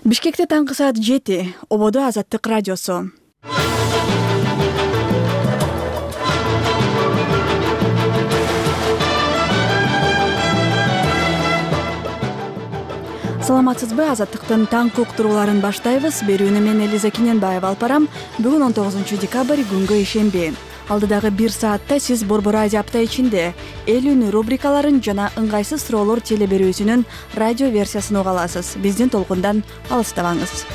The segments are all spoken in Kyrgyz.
Бишкекте таңкы саат 7, ободо Азаттык радиосу. Саламатсызбы? Азаттыктын таңкы уктурууларын баштайбыз. Берүүнү мен Элиза Кененбаева алып барам. Бүгүн 19 декабрь күнгө ишемби. Алдыдагы 1 саатта сиз Борбор радио апта ичинде эл үнү рубрикаларын жана ыңгайсыз суроолор теле берүүсүнүн радио версиясын уга аласыз. Биздин толкундан алыстабаңыз.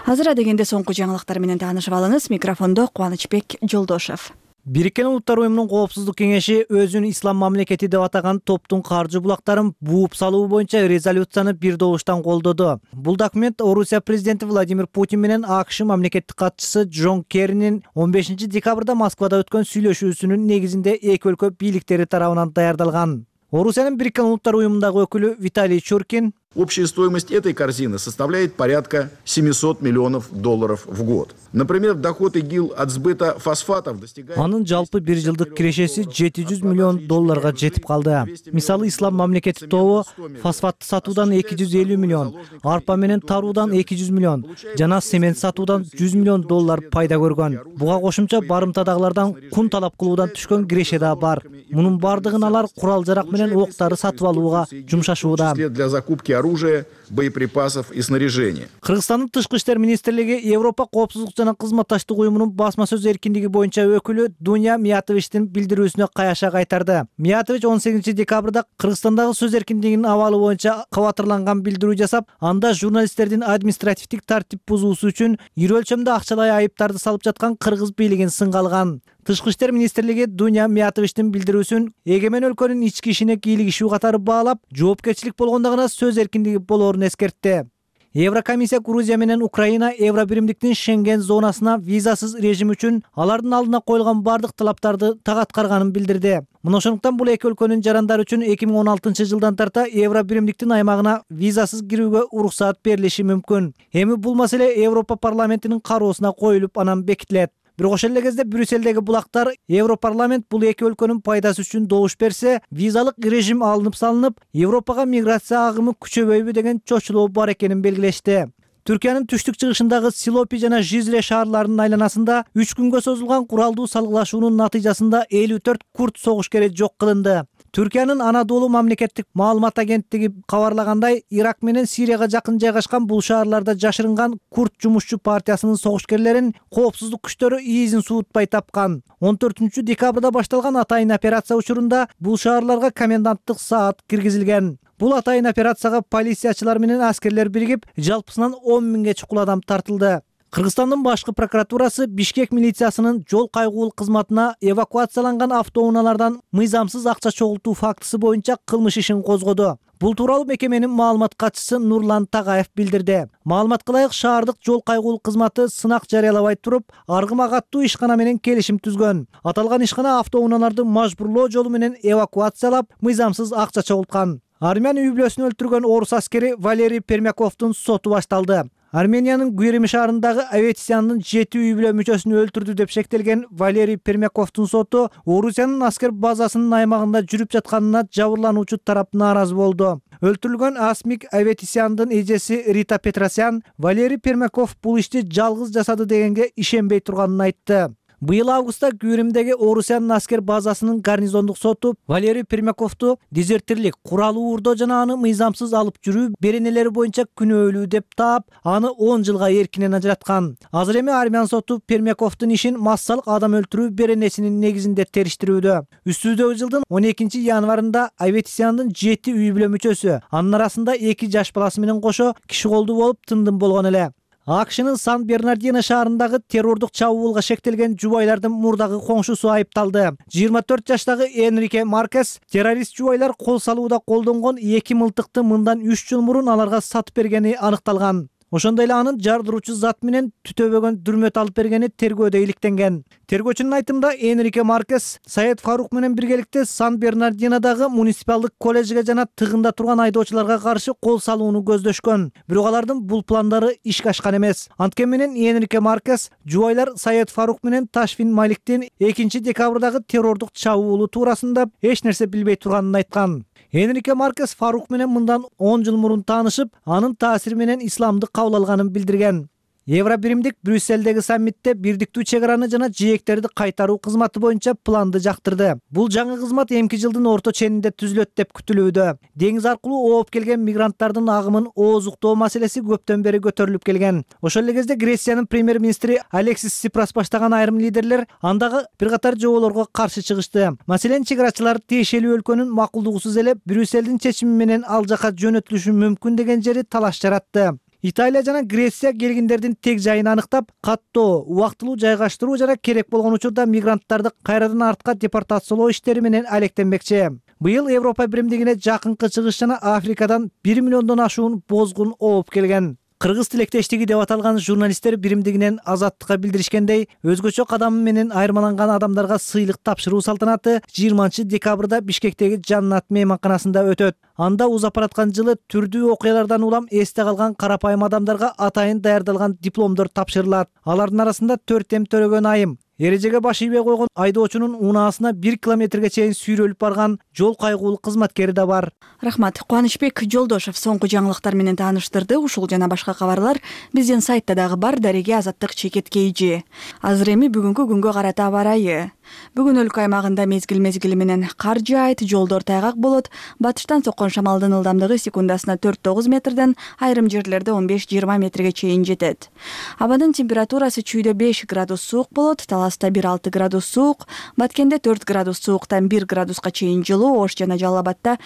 Азыр дегенде соңку жаңылыктар менен таанышып алыңыз. Микрофондо Кубанычбек Жолдошев. Бириккен Улуттар уюмунун Коопсуздук кеңеши өзүн ислам мамлекети деп атаган топтун каржы булактарын бууп салуу боюнча резолюцияны бир добуштан колдоду. Бул документ Орусия президенти Владимир Путин менен АКШ мамлекеттик катчысы Джон Керринин 15 декабрда Москвада өткөн сүйлөшүүсүнүн негизинде эки өлкө бийликтери тарабынан даярдалган. Орусиянын Бириккен Улуттар уюмундагы өкүлү Виталий Чуркин: Общая стоимость этой корзины составляет порядка $700 миллионов в год. Например, доход ИГИЛ от сбыта фосфатов достигает... Анын жалпы бир жылдык кирешеси $700 миллион жетип калды. Мисалы, ислам мамлекети тобу фосфатты сатуудан 250 миллион, арпа менен таруудан 200 миллион, жана семент сатуудан $100 миллион пайда көргөн. Буга кошумча барымтадагылардан кун талап кылуудан түшкөн киреше да бар. Мунун бардыгын алар курал-жарак менен октары сатып алууга жумшашууда. Для закупки оружия, боеприпасов и снаряжения. Кыргызстандын Тышкы иштер министрлиги Европа коопсуздук жана кызматташтык уюмунун басма сөз эркиндиги боюнча өкүлү Дуня Миятовичтин билдирүүсүнө каяша кайтарды. Миятович 18 декабрда Кыргызстандагы сөз эркиндигинин абалы боюнча кабатырланган билдирүү жасап, анда журналисттердин административдик тартип бузуусу үчүн ири өлчөмдө акчалай айыптарды салып жаткан кыргыз бийлигин сынга алган. Тышкы иштер министрлиги Дуня Миятовичтин билдирүүсүн эгемен өлкөнүн ички ишине кийлигишүү катары баалап, жоопкерчилик болгондо гана сөз эркиндиги болоорун эскертти. Еврокомиссия Грузия менен Украина Евробиримдиктин Шенген зонасына визасыз режим үчүн алардын алдына коюлган бардык талаптарды так аткарганын билдирди. Мына ошондуктан бул эки өлкөнүн жарандары үчүн 2016 жылдан тарта Евробиримдиктин аймагына визасыз кирүүгө уруксаат берилиши мүмкүн. Эми бул маселе Европа парламентинин кароосуна коюлуп, анан бекитилет. Бирок ошол эле кезде Брюсселдеги булактар Европарламент бул эки өлкөнүн пайдасы үчүн добуш берсе, визалык режим алынып салынып, Европага миграция агымы күчөбөйбү деген чочулоо бар экенин белгилешти. Түркиянын түштүк-чыгышындагы Силопи жана Жизре шаарларынын айланасында 3 күнгө созулган куралдуу салгылашуунун натыйжасында 54 курд согушкери жок кылынды. Түркиянын Анадолу мамлекеттик маалымат агенттиги кабарлагандай, Ирак менен Сирияга жакын жайгашкан бул шаарларда жашырынган курд жумушчу партиясынын согушкерлерин коопсуздук күчтөрү иизин суутпай тапкан. 14 декабрда башталган атайын операция учурунда бул шаарларга коменданттык саат киргизилген. Бул атайын операцияга полициячылар менен аскерлер биригип, жалпысынан 10 миңге чукул адам тартылды. Кыргызстандын башкы прокуратурасы Бишкек милициясынын жол кайгуулук кызматына эвакуацияланган автоунаалардан мыйзамсыз акча чогултуу фактысы боюнча кылмыш ишин козгоду. Бул тууралуу мекеменин маалымат катчысы Нурлан Тагаев билдирди. Маалыматка ылайык, шаардык жол кайгуулук кызматы сынак жарыялабай туруп, Аргымак аттуу ишкана менен келишим түзгөн. Аталган ишкана автоунааларды мажбурлоо жолу менен эвакуациялап, мыйзамсыз акча чогулткан. Армян үй-бүлөсүн өлтүргөн орус аскери Валерий Пермяковдун соту башталды. Армениянын Гюрим шаарындагы Аветисяндын 7 үй-бүлө мүчөсүн өлтүрдү деп шектелген Валерий Пермяковдун соту Орусиянын аскер базасынын аймагында жүрүп жатканына жабырлануучу тарап нааразы болду. Өлтүрүлгөн Асмик Аветисяндын эжеси Рита Петросян Валерий Пермяков бул ишти жалгыз жасады дегенге ишенбей турганын айтты. Быйыл августта Гюримдеги Орусиянын аскер базасынын гарнизондук соту Валерий Пермяковду дезертирлик, куралуу уурдоо жана аны мыйзамсыз алып жүрүү беренелери боюнча күнөөлүү деп таап, аны 10 жылга эркинен ажыраткан. Азыр эми армян соту Пермяковдун ишин массалык адам өлтүрүү беренесинин негизинде териштирүүдө. Үстүбүздөгү жылдын 12 январында Аветисяндын 7 үй-бүлө мүчөсү, анын арасында 2 жаш баласы менен кошо киши колду болуп тындым болгон эле. АКШнын Сан-Бернардино шаарындагы террордук чабуулга шектелген жубайлардын мурдагы коңшусу айыпталды. 24 жаштагы Энрике Маркес террорист жубайлар кол салууда колдонгон 2 мылтыкты мындан 3 жыл мурун аларга сатып бергени аныкталган. Ошондой эле анын жардыруучу зат менен түтөбөгөн дүрмөт алып бергени тергөөдө иликтенген. Тергөөчүнүн айтымында Энрике Маркес Саед Фарук менен биргеликте Сан-Бернардинодагы муниципалдык колледжге жана тыгында турган айдоочуларга каршы кол салууну көздөшкөн. Бирок алардын бул пландары ишке ашкан эмес. Анткени менен Энрике Маркес жубайлар Саед Фарук менен Ташфин Маликтин 2 декабрдагы террордук чабуулу туурасында эч нерсе билбей турганын айткан. Энрике Маркес Фарук менен мындан 10 жыл мурун таанышып, анын таасири менен исламды кабыл алганын билдирген. Евробиримдик Брюсселдеги саммитте бирдиктүү чек араны жана жээктерди кайтаруу кызматы боюнча планды жактырды. Бул жаңы кызмат эмки жылдын орто ченинде түзүлөт деп күтүлүүдө. Деңиз аркылуу ооп келген мигранттардын агымын ооздуктоо маселеси көптөн бери көтөрүлүп келген. Ошол эле кезде Грециянын премьер-министри Алексис Сипрас баштаган айрым лидерлер андагы бир катар жоболорго каршы чыгышты. Маселен, чек арачылар тиешелүү өлкөнүн макулдугусуз эле Брюсселдин чечими менен ал жака жөнөтүлүшү мүмкүн деген жери талаш жаратты. Италия жана Греция келгиндердин тег жайын аныктап, каттоо, убактылуу жайгаштыруу жана керек болгон учурда мигранттарды кайрадан артка депортациялоо иштери менен алектенмекчи. Быйыл Европа биримдигине жакынкы чыгыш жана Африкадан 1 миллиондон ашуун бозгун ооп келген. Кыргыз тилектештиги деп аталган журналисттер биримдигинен Азаттыкка билдиришкендей, өзгөчө кадамы менен айырмаланган адамдарга сыйлык тапшыруу салтанаты 20-декабрда Бишкектеги Жаннат мейманканасында өтөт. Анда узапараткан жылы түрдүү окуялардан улам эсте калган карапайым адамдарга атайын даярдалган дипломдор тапшырылат. Алардын арасында 4 төрөгөн айым, эрежеге баш ийбей койгон айдоочунун унаасына 1 километрге чейин сүйрөлүп барган жол кайгуулук кызматкери да бар. Рахмат. Кубанычбек Жолдошев соңку жаңылыктар менен тааныштырды. Ушул жана башка кабарлар биздин сайтта дагы бар. Дареге Азаттык чекет KG. Азыр эми бүгүнкү күнгө карата аба ырайы. Бүгүн өлкө аймагында мезгил менен кар жаайт, жолдор тайгак болот. Батыштан соккон шамалдын ылдамдыгы секундасына 4-9 метрден, айрым жерлерде 15-20 метрге чейин жетет. Абанын температурасы чүйдө 5 градус суук болот, Таласта 1-6 градус суук, Баткенде 4 градус сууктан 1 градуска чейин жылуу, Ош жана Жалал Абадта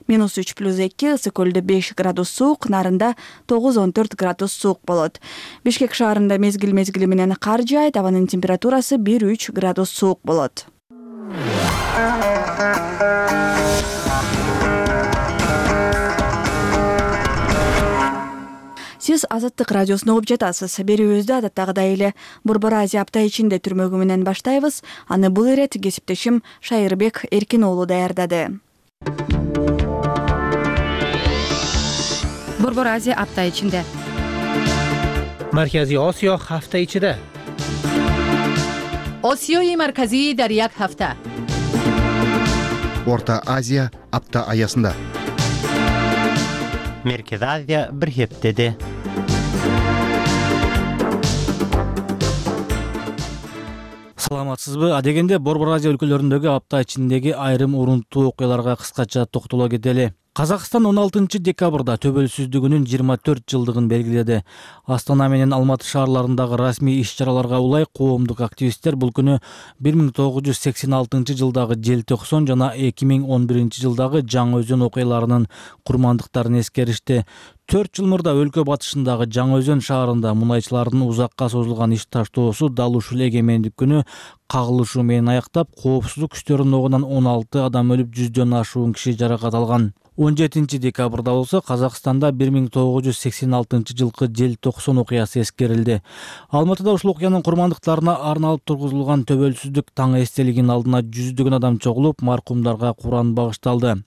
-3+2, Ысык көлдө 5 градус суук, Нарында 9-14 градус суук болот. Бишкек шаарында мезгил менен кар жаайт, абанын температурасы 1-3 градус суук болот. Сиз Азаттык радиосун угуп жатасыз. Берүүбүздү адаттагыдай эле Борбор Азия апта ичинде түрмөгү менен баштайбыз. Аны бул ирет кесиптешим Шайырбек Эркин уулу даярдады. Борбор Азия апта ичинде. Маркази Осиё ҳафта ичида. Осиёи марказӣ дар як ҳафта. Орта Азия апта аясында. Меркез Азия бир ҳептеде. Саламатсызбы? Адегенде Борбор Азия өлкөлөрүндөгү апта ичиндеги айрым урунттуу окуяларга кыскача токтоло кетели. Казакстан 16-декабрда төбөлсүздүгүнүн 24 жылдыгын белгиледи. Астана менен Алматы шаарларындагы расмий иш-чараларга улай коомдук активисттер бул күнү 1986 жылдагы Желтоқсон жана 2011 жылдагы Жаңы Өзөн окуяларынын курмандыктарын эскеришти. 4 жыл мурда өлкө батышындагы Жаңы Өзөн шаарында мунайчылардын узакка созулган иш таштоосу дал ушул эгемендик күнү кагылышуу менен аяктап, коопсуздук күчтөрүнүн ногунан 16 адам өлүп, 100дөн ашуун киши жаракат алган. 17-декабрда болсо Казакстанда 1986 жылкы Желтоқсон окуясы эскерилди. Алматыда ушул окуянын курмандыктарына арналып тургузулган төбөлсүздүк таң эстелигинин алдына 100дөгөн адам чогулуп, маркумдарга Куран багышталды.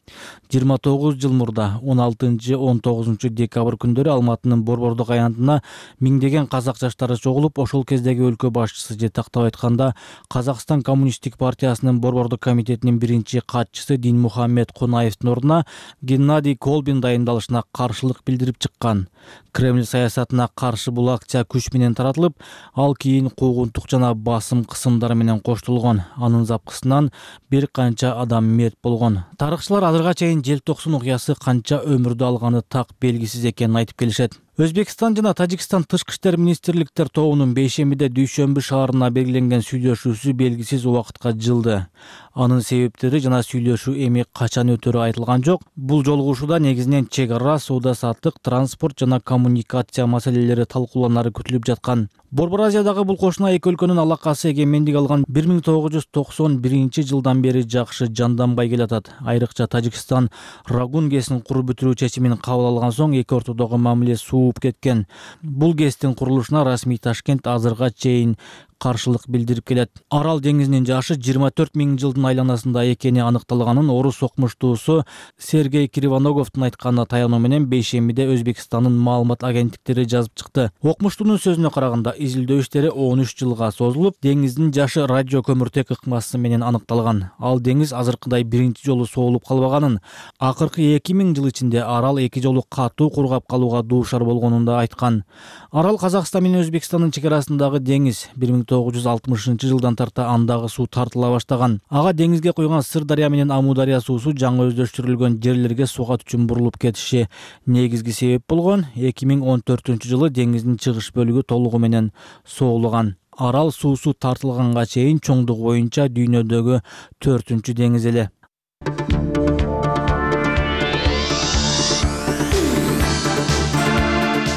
29 жыл мурда 16-19 декабрь күндөрү Алматынын Борбордук аянтына миңдеген казак жаштары чогулуп, ошол кездеги өлкө башчысы же тактап айтканда Казакстан Коммунисттик партиясынын Борбордук комитетинин биринчи катчысы Динмухаммед Кунаевдин ордуна Геннадий Колбин дайындалышына каршылык билдирип чыккан. Кремль саясатына каршы бул акция күч менен таратылып, ал кийин куугунтук жана басым кысымдары менен коштолгон. Анын запкысынан бир канча адам мерт болгон. Тарыхчылар азырга чейин Желтоқсон окуясы канча өмүрдү алганы так белгисиз экенин айтып келишет. Өзбекстан жана Тажикстан тышкы иштер министрликтер тобунун бейшембиде Дүйшөмбү шаарына белгиленген сүйлөшүүсү белгисиз убакытка жылды. Анын себептери жана сүйлөшүү эми качан өтөрү айтылган жок. Бул жолугушууда негизинен чек ара, соода саттык, транспорт жана коммуникация маселелери талкууланары күтүлүп жаткан. Борбор Азиядагы бул кошуна эки өлкөнүн алакасы эгемендик алган 1991 жылдан бери жакшы жанданбай келатат. Айрыкча Тажикстан Рагун ГЭСин куруп бүтүрүү чечимин кабыл алган соң эки ортодогу мамиле сууп кеткен. Бул ГЭСтин курулушуна расмий Ташкент азырга чейин каршылык билдирип келет. Арал деңизинин жашы 24 000 жылдын айланасында экени аныкталганын орус окумуштуусу Сергей Кривоноговдун айтканына таянуу менен бейшембиде Өзбекстандын маалымат агенттиктери жазып чыкты. Окумуштуунун сөзүнө караганда, изилдөө иштери 13 жылга созулуп, деңиздин жашы радио көмүртек ыкмасы менен аныкталган. Ал деңиз азыркыдай биринчи жолу соолуп калбаганын, акыркы 2000 жыл ичинде арал 2 жолу катуу кургап калууга дуушар болгонун да айткан. Арал Казакстан менен Өзбекстандын чек арасындагы деңиз. 1960 жылдан тарта андагы суу тартыла баштаган. Ага деңизге куйган Сырдария менен Амудария суусу жаңы өздөштүрүлгөн жерлерге сугат үчүн бурулуп кетиши негизги себеп болгон. 2014 жылы деңиздин чыгыш бөлүгү толугу менен соолуган. Арал суусу тартылганга чейин чоңдугу боюнча дүйнөдөгү 4-чү деңиз эле.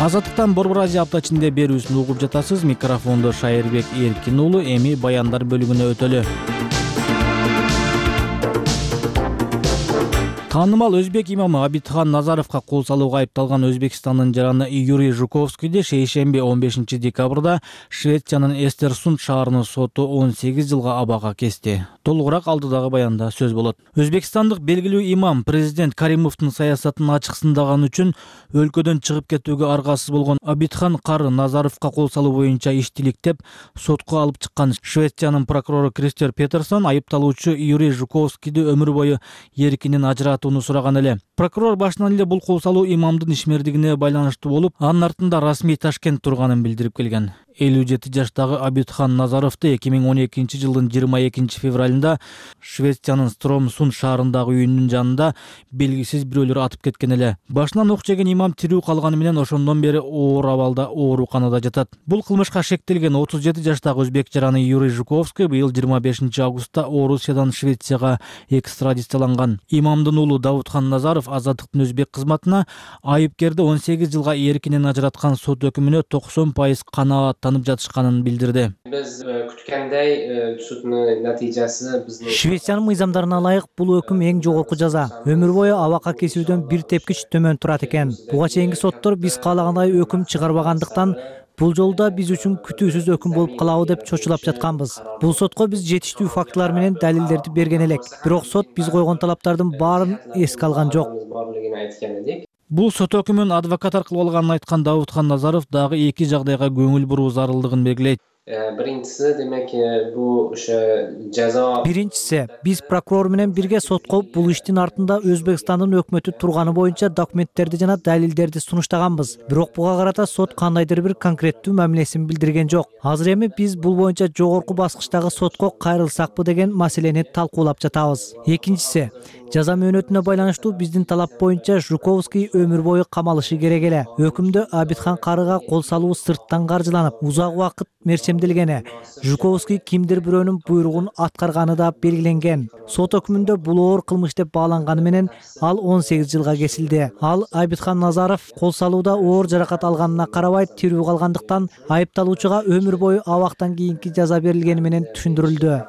Азаттыктан Борбор Азия апта ичинде берүүсүн угуп жатасыз. Микрофондо Шайырбек Эркин уулу. Эми баяндар бөлүгүнө өтөлү. Таанымал өзбек имамы Абитхан Назаровго кол салууга айыпталган Өзбекстандын жараны Юрий Жуковскийди шейшемби 15 декабрда Швециянын Эстерсунд шаарынын соту 18 жылга абага кести. Толугураак алдыдагы баянда сөз болот. Өзбекстандык белгилүү имам президент Каримовдун саясатын ачыксындаган үчүн өлкөдөн чыгып кетүүгө аргасыз болгон Абитхан Кары Назаровго кол салуу боюнча иштиликтеп сотко алып чыккан. Швециянын прокурору Кристер Петерсон айыпталуучу Юрий Жуковскийди өмүр бою эркинен ажыратууну сураган эле. Прокурор башынан эле бул кол салуу имамдын ишмердигине байланыштуу болуп, анын артында расмий Ташкент турганын билдирип келген. 57 жаштагы Абитхан Назаровду 2012 жылдын 22 февралында Швециянын Стромсунд шаарындагы үйүнүн жанында белгисиз бирөөлөр атып кеткен эле. Башынан ок жеген имам тирүү калганы менен ошондон бери оор абалда ооруканада жатат. Бул кылмышка шектелген 37 жаштагы өзбек жараны Юрий Жуковский быйыл 25 августта Орусиядан Швецияга экстрадицияланган. Имамдын уулу Давутхан Назаров азаттыктын өзбек кызматына айыпкерди 18 жылга эркинен ажыраткан сот өкүмүнө 90% канааттанып жатышканын билдирди. Биз күткөндөй суддун натыйжасы биздин Швециянын мыйзамдарына ылайык бул өкүм эң жогорку жаза. Өмүр бою абакка кесүүдөн бир тепкич төмөн турат экен. Буга чейинки соттор биз каалагандай өкүм чыгарбагандыктан бул жолда биз үчүн күтүүсүз өкүм болуп калабы деп чочулап жатканбыз. Бул сотко биз жетиштүү фактылар менен далилдерди берген элек. Бирок сот биз койгон талаптардын баарын эске алган жок. Бул сот өкүмүн адвокат аркылуу алганын айткан Давутхан Назаров дагы эки жагдайга көңүл буруу зарылдыгын белгилейт. Биринчиси демек бул жаза. Биринчиси, биз прокурор менен бирге сотко бул иштин артында Өзбекстандын өкмөтү турганы боюнча документтерди жана далилдерди сунуштаганбыз. Бирок буга карата сот кандайдыр бир конкреттүү мамилесин билдирген жок. Азыр эми биз бул боюнча жогорку баскычтагы сотко кайрылсакпы деген маселени талкуулап жатабыз. Экинчиси, жаза мөөнөтүнө байланыштуу биздин талап боюнча Жуковский өмүр бою камалышы керек эле. Өкүмдө Абитхан Карыга кол салуу сырттан каржыланып, узак убакыт мерчемделгени, Жуковский кимдир бирөөнүн буйругун аткарганы да белгиленген. Сот өкүмүндө бул оор кылмыш деп бааланганы менен ал 18 жылга кесилди. Ал Абитхан Назаров кол салууда оор жаракат алганына карабай тирүү калгандыктан айыпталуучуга өмүр бою абактан кийинки жаза берилгени менен түшүндүрүлдү.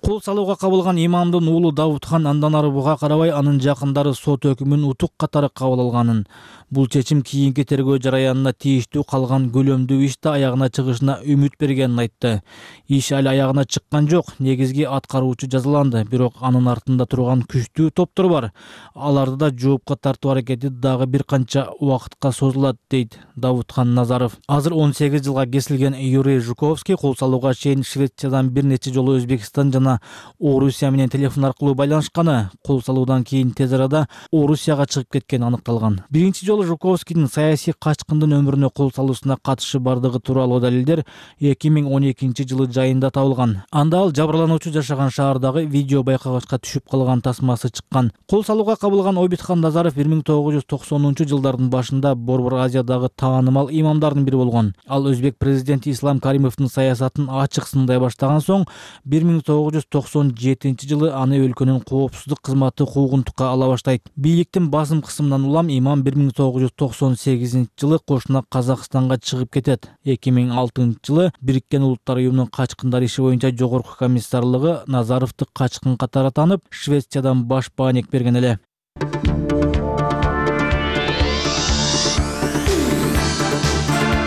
Кол салууга кабылган имамдын уулу Давутхан андан ары буга карабай анын жакындары сот өкүмүн утук катары кабыл алганын, бул чечим кийинки тергөө жараянына тийиштүү калган көлөмдүү ишти аягына чыгышына үмүт бергенин айтты. Иш али аягына чыккан жок, негизги аткаруучу жазаланды, бирок анын артында турган күчтүү топтор бар. Аларды да жоопко тартуу аракети дагы бир канча убакытка созулат, дейт Давутхан Назаров. Азыр 18 жылга кесилген Юрий Жуковский кол салууга чейин Швециядан бир нече жолу Өзбекстан жана Орусия менен телефон аркылуу байланышканы, кол салуудан кийин тез арада Орусияга чыгып кеткени аныкталган. Биринчи жолу Жуковскийдин саясий качкындын өмүрүнө кол салуусуна катышы бардыгы тууралуу далилдер 2012 жылы жайында табылган. Анда ал жабырлануучу жашаган шаардагы видео байкагычка түшүп калган тасмасы чыккан. Кол салууга кабылган Абитхан Назаров 1990 жылдардын башында Борбор Азиядагы таанымал имамдардын бири болгон. Ал өзбек президенти Ислам Каримовдун саясатын ачык сындай баштаган соң 1997 жылы аны өлкөнүн коопсуздук кызматы куугунтукка ала баштайт. Бийликтин басым кысымынан улам имам 1998 жылы кошуна Казакстанга чыгып кетет. 2006 жылы Бириккен Улуттар уюмунун качкындар иши боюнча жогорку комиссарлыгы Назаровду качкын катары таанып, Швециядан баш бааник берген эле.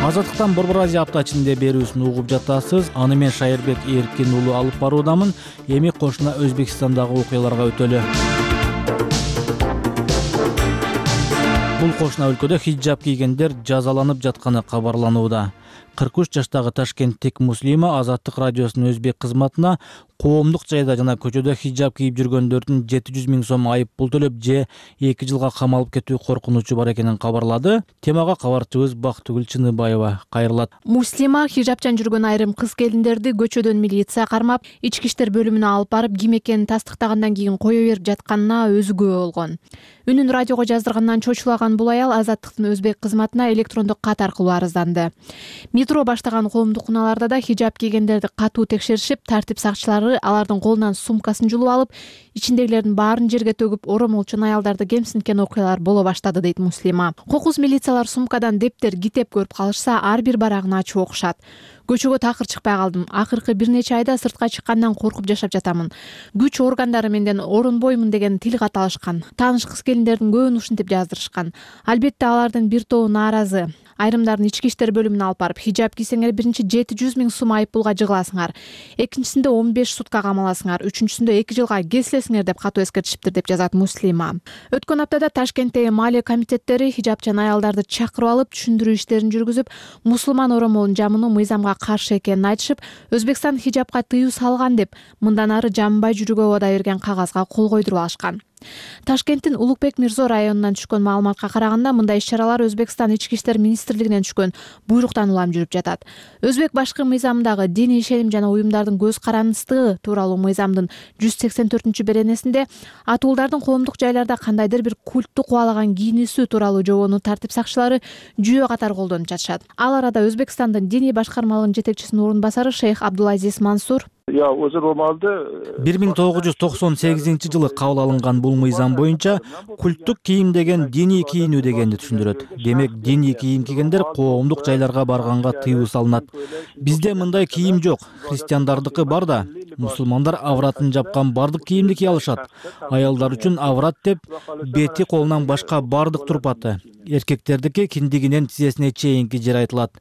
Азаттыктан Борбор Азия апта ичинде берүүсүн угуп жатасыз. Аны мен Шайырбек Эркин уулу алып баруудамын. Эми кошуна Өзбекстандагы окуяларга өтөлү. Бул кошуна өлкөдө хиджаб кийгендер жазаланып жатканы кабарланууда. 43 жаштагы ташкенттик Муслима Азаттык радиосунун өзбек кызматына коомдук жайда жана көчөдө хиджаб кийип жүргөндөрдүн 700 000 сом айып пул төлөп же 2 жылга камалып кетүү коркунучу бар экенин кабарлады. Темага кабарчыбыз Бактыгүл Чыныбаева кайрылат. Муслима хиджабчан жүргөн айрым кыз келиндерди көчөдөн милиция кармап, ички иштер бөлүмүнө алып барып, ким экенин тастыктагандан кийин кое берип жатканына өзү күбө болгон. Үнүн радиого жаздыргандан чочулаган бул аял Азаттыктын өзбек кызматына электрондук кат аркылуу арызданды. Метро баштаган коомдук унааларда да хиджаб кийгендерди катуу текшеришип, тартип сакчылары алардын колунан сумкасын жулуп алып, ичиндегилердин баарын жерге төгүп, оромолчун аялдарды кемсинткен окуялар боло баштады, дейт Муслима. Кокус милициялар сумкадан дептер, китеп көрүп калышса, ар бир барагын ачып окушат. Көчөгө такыр чыкпай калдым. Акыркы бир нече айда сыртка чыккандан коркуп жашап жатамын. Күч органдары менден орунбоймун деген тил кат алышкан. Тааныш кыз келиндердин көбүн ушинтип жаздырышкан. Албетте алардын бир тобу нааразы. Айрымдарын ички иштер бөлүмүнө алып барып, хиджаб кийсеңер биринчи 700 000 сом айып пулга жыгыласыңар. Экинчисинде 15 сутка камаласыңар. Үчүнчүсүндө 2 жылга кесилесиңер деп катуу эскертишиптир, деп жазат Муслима. Өткөн аптада Ташкенттеги маалия комитеттери хиджабчан аялдарды чакырып алып, түшүндүрүү иштерин жүргүзүп, мусулман оромолун жамынуу мыйзамга каршы экенин айтышып, Өзбекстан хиджабка тыюу салган деп, мындан ары жамбай жүрүүгө убада берген кагазга кол койдуруп алышкан. Ташкенттин Улукбек Мирзо районунан түшкөн маалыматка караганда, мындай иш-чаралар Өзбекстан ички иштер министрлигинен түшкөн буйруктан улам жүрүп жатат. Өзбек башкы мыйзамындагы диний ишеним жана уюмдардын көз карандысыздыгы тууралуу мыйзамдын 184-беренесинде атуулдардын коомдук жайларда кандайдыр бир культту кубалаган кийинүүсү тууралуу жобону тартип сакчылары жүйө катары колдонуп жатышат. Ал арада Өзбекстандын диний башкармалыгынын жетекчисинин орун басары шейх Абдулазиз Мансур 1998 жылы кабыл алынган бул мыйзам боюнча культтук кийим деген диний кийинүү дегенди түшүндүрөт. Демек, диний кийим кийгендер коомдук жайларга барганга тыюу салынат. Бизде мындай кийим жок. Христиандардыкы бар да. Мусулмандар авратын жапкан бардык кийимди кие алышат. Аялдар үчүн аврат деп бети колунан башка бардык турпаты. Эркектердики киндигинен тизесине чейинки жер айтылат.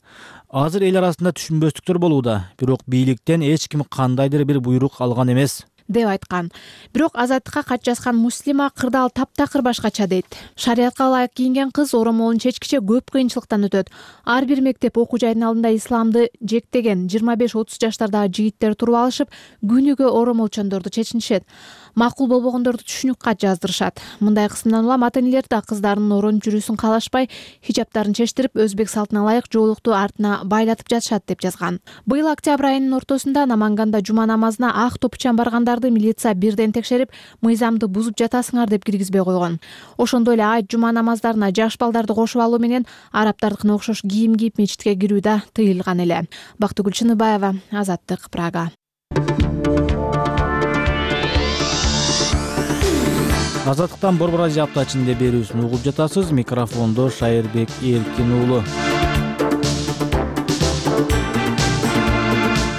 Азыр эл арасында түшүнбөстүктөр болууда, бирок бийликтен эч ким кандайдыр бир буйрук алган эмес, деп айткан. Бирок Азаттыкка кат жазган Муслима кырдаал таптакыр башкача дейт. Шариятка ылайык кийинген кыз оромолун чечкиче көп кыйынчылыктан өтөт. Ар бир мектеп окуу жайдын алдында исламды жектеген 25-30 жаштардагы жигиттер туруп алышып, күнүгө оромолчондорду чечинишет. Макул болбогондорду түшүнүк кат жаздырышат. Мындай кысымдан улам ата-энелер да кыздарынын орон жүрүүсүн каалашпай, хиджабтарын чечтирип, өзбек салтына ылайык жоолукту артына байлатып жатышат, деп жазган. Быйыл октябрь айынын ортосунда Наманганда жума намазына ак топучан баргандарды милиция бирден текшерип, мыйзамды бузуп жатасыңар деп киргизбей койгон. Ошондой эле айт жума намаздарына жаш балдарды кошуп алуу менен арабтардыкына окшош кийим кийип мечитке кирүү да тыйылган эле. Бактыгүл Чыныбаева, Азаттык, Прага. Азаттыктан Борбор Азия апта ичинде берүүсүн угуп жатасыз. Микрофондо Шайырбек Эркин уулу.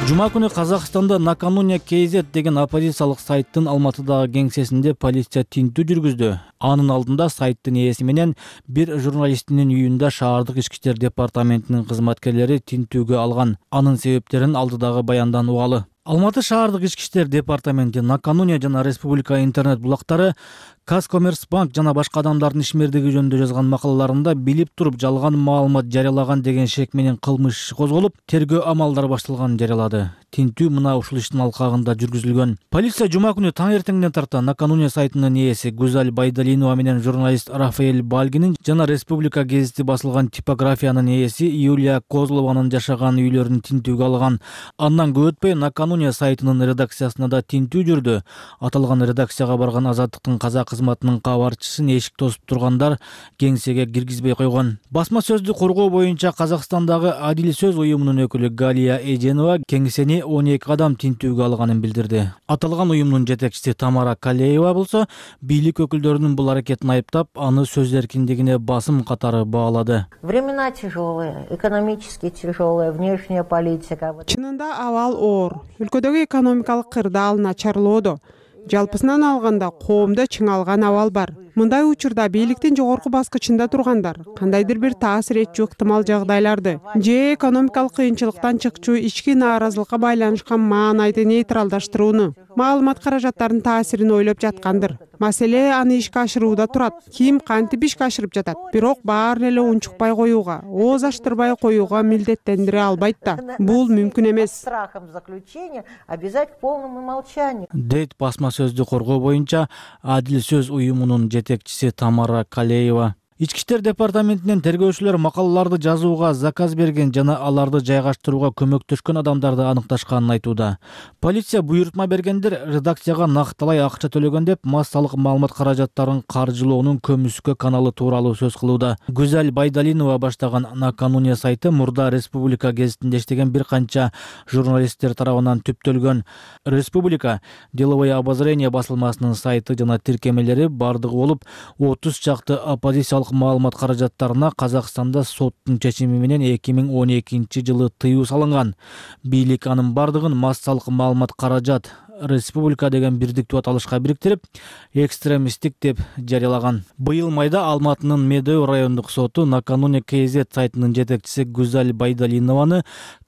Жума күнү Казакстанда Накануня KZ деген оппозициялык сайттын Алматыдагы кеңсесинде полиция тинтүү жүргүздү. Анын алдында сайттын ээси менен бир журналистинин үйүндө шаардык ички иштер департаментинин кызматкерлери тинтүүгө алган. Анын себептерин алдыдагы баяндан угалы. Алматы шаардык ички иштер департаменти Накануня жана Республика интернет булактары Казкоммерцбанк жана башка адамдардын ишмердиги жөнүндө жазган макалаларында билип туруп жалган маалымат жарыялаган деген шек менен кылмыш иши козголуп, тергөө амалдары башталганын жарыялады. Тинтүү мына ушул иштин алкагында жүргүзүлгөн. Полиция жума күнү таң эртеңден тарта Накануня сайтынын ээси Гузаль Байдалинова менен журналист Рафаэль Бальгинин жана Республика гезити басылган типографиянын ээси Юлия Козлованын жашаган үйлөрүн тинтүүгө алган. Андан көп өтпөй Накануня сайтынын редакциясына да тинтүү жүрдү. Аталган редакцияга барган Азаттыктын казак кызматынын кабарчысын эшик тосуп тургандар кеңсеге киргизбей койгон. Басма сөздү коргоо боюнча Казакстандагы Адил сөз уюмунун өкүлү Галия Эженова кеңсени 12 адам тинтүүгө алганын билдирди. Аталган уюмдун жетекчиси Тамара Калеева болсо бийлик өкүлдөрүнүн бул аракетин айыптап, аны сөз эркиндигине басым катары баалады. Времена тяжелые, экономически тяжелые, внешняя политика. Чынында абал оор. Өлкөдөгү экономикалык кырдаал начарлоодо. Жалпысынан алганда коомдо чыңалган абал бар. Мындай учурда бийликтин жогорку баскычында тургандар кандайдыр бир таасир этчү ыктымал жагдайларды же экономикалык кыйынчылыктан чыкчу ички нааразылыкка байланышкан маанайды нейтралдаштырууну, маалымат каражаттарынын таасирин ойлоп жаткандыр. Маселе аны ишке ашырууда турат. Ким кантип ишке ашырып жатат, бирок баарын эле унчукпай коюуга, ооз ачтырбай коюуга милдеттендире албайт да. Бул мүмкүн эмес. Страхом заключения обязать к полному молчанию. Дейт басма сөздү коргоо боюнча Адил сөз уюмунун жетекчиси Тамара Калеева. Ички иштер департаментинен тергөөчүлөр макалаларды жазууга заказ берген жана аларды жайгаштырууга көмөктөшкөн адамдарды аныкташканын айтууда. Полиция буйрутма бергендер редакцияга накталай акча төлөгөн деп массалык маалымат каражаттарын каржылоонун көмүскө каналы тууралуу сөз кылууда. Гүзал Байдалинова баштаган Накануне сайты мурда Республика гезитинде иштеген бир канча журналисттер тарабынан түптөлгөн. Республика деловое обозрение басылмасынын сайты жана тиркемелери бардыгы болуп 30 чакты оппозициялык маалымат каражаттарына Казакстанда соттун чечими менен 2012-жылы тыюу салынган. Бийлик анын бардыгын массалык маалымат каражат Республика деген бирдиктүү аталышка бириктирип, экстремисттик деп жарыялаган. Быйыл майда Алматынын Медеу райондук соту Накануне КЗ сайтынын жетекчиси Гүзал Байдалинованы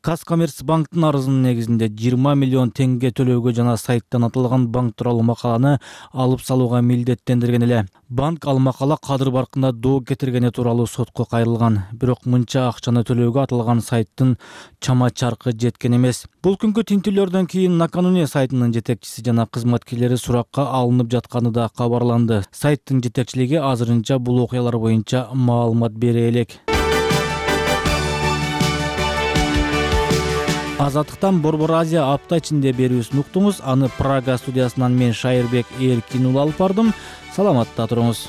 Казкоммерцбанктын арызынын негизинде 20 миллион теңге төлөөгө жана сайттан аталган банк тууралуу макаланы алып салууга милдеттендирген эле. Банк ал макала кадыр баркында доо кетиргени тууралуу сотко кайрылган. Бирок мынча акчаны төлөөгө аталган сайттын чама чаркы жеткен эмес. Бул күnkү тинтүүлөрдөн кийин Накануне сайтынын жетекчиси жана кызматкерлери суракка алынып жатканы да кабарланды. Сайттын жетекчилиги азырынча бул окуялар боюнча маалымат бере элек. Азаттыктан Борбор Азия апта ичинде берүүсүн уктуңуз. Аны Прага студиясынан мен Шайырбек Эркин уулу алып бардым. Саламатта туруңуз.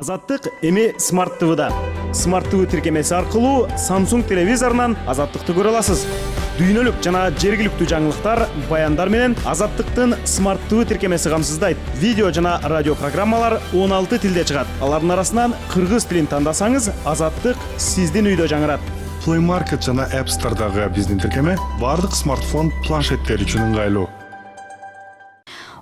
Азаттык эми Smart TV'да. Smart TV тиркемеси аркылуу Samsung телевизорунан Азаттыкты көрө аласыз. Дүйнөлүк жана жергиликтүү жаңылыктар, баяндар менен Азаттыктын Smart TV тиркемеси камсыздайт. Видео жана радио программалар 16 тилде чыгат. Алардын арасынан кыргыз тилин тандасаңыз, Азаттык сиздин үйдө жаңырат. Play Market жана App Store'дагы биздин тиркеме бардык смартфон, планшеттер үчүн ыңгайлуу.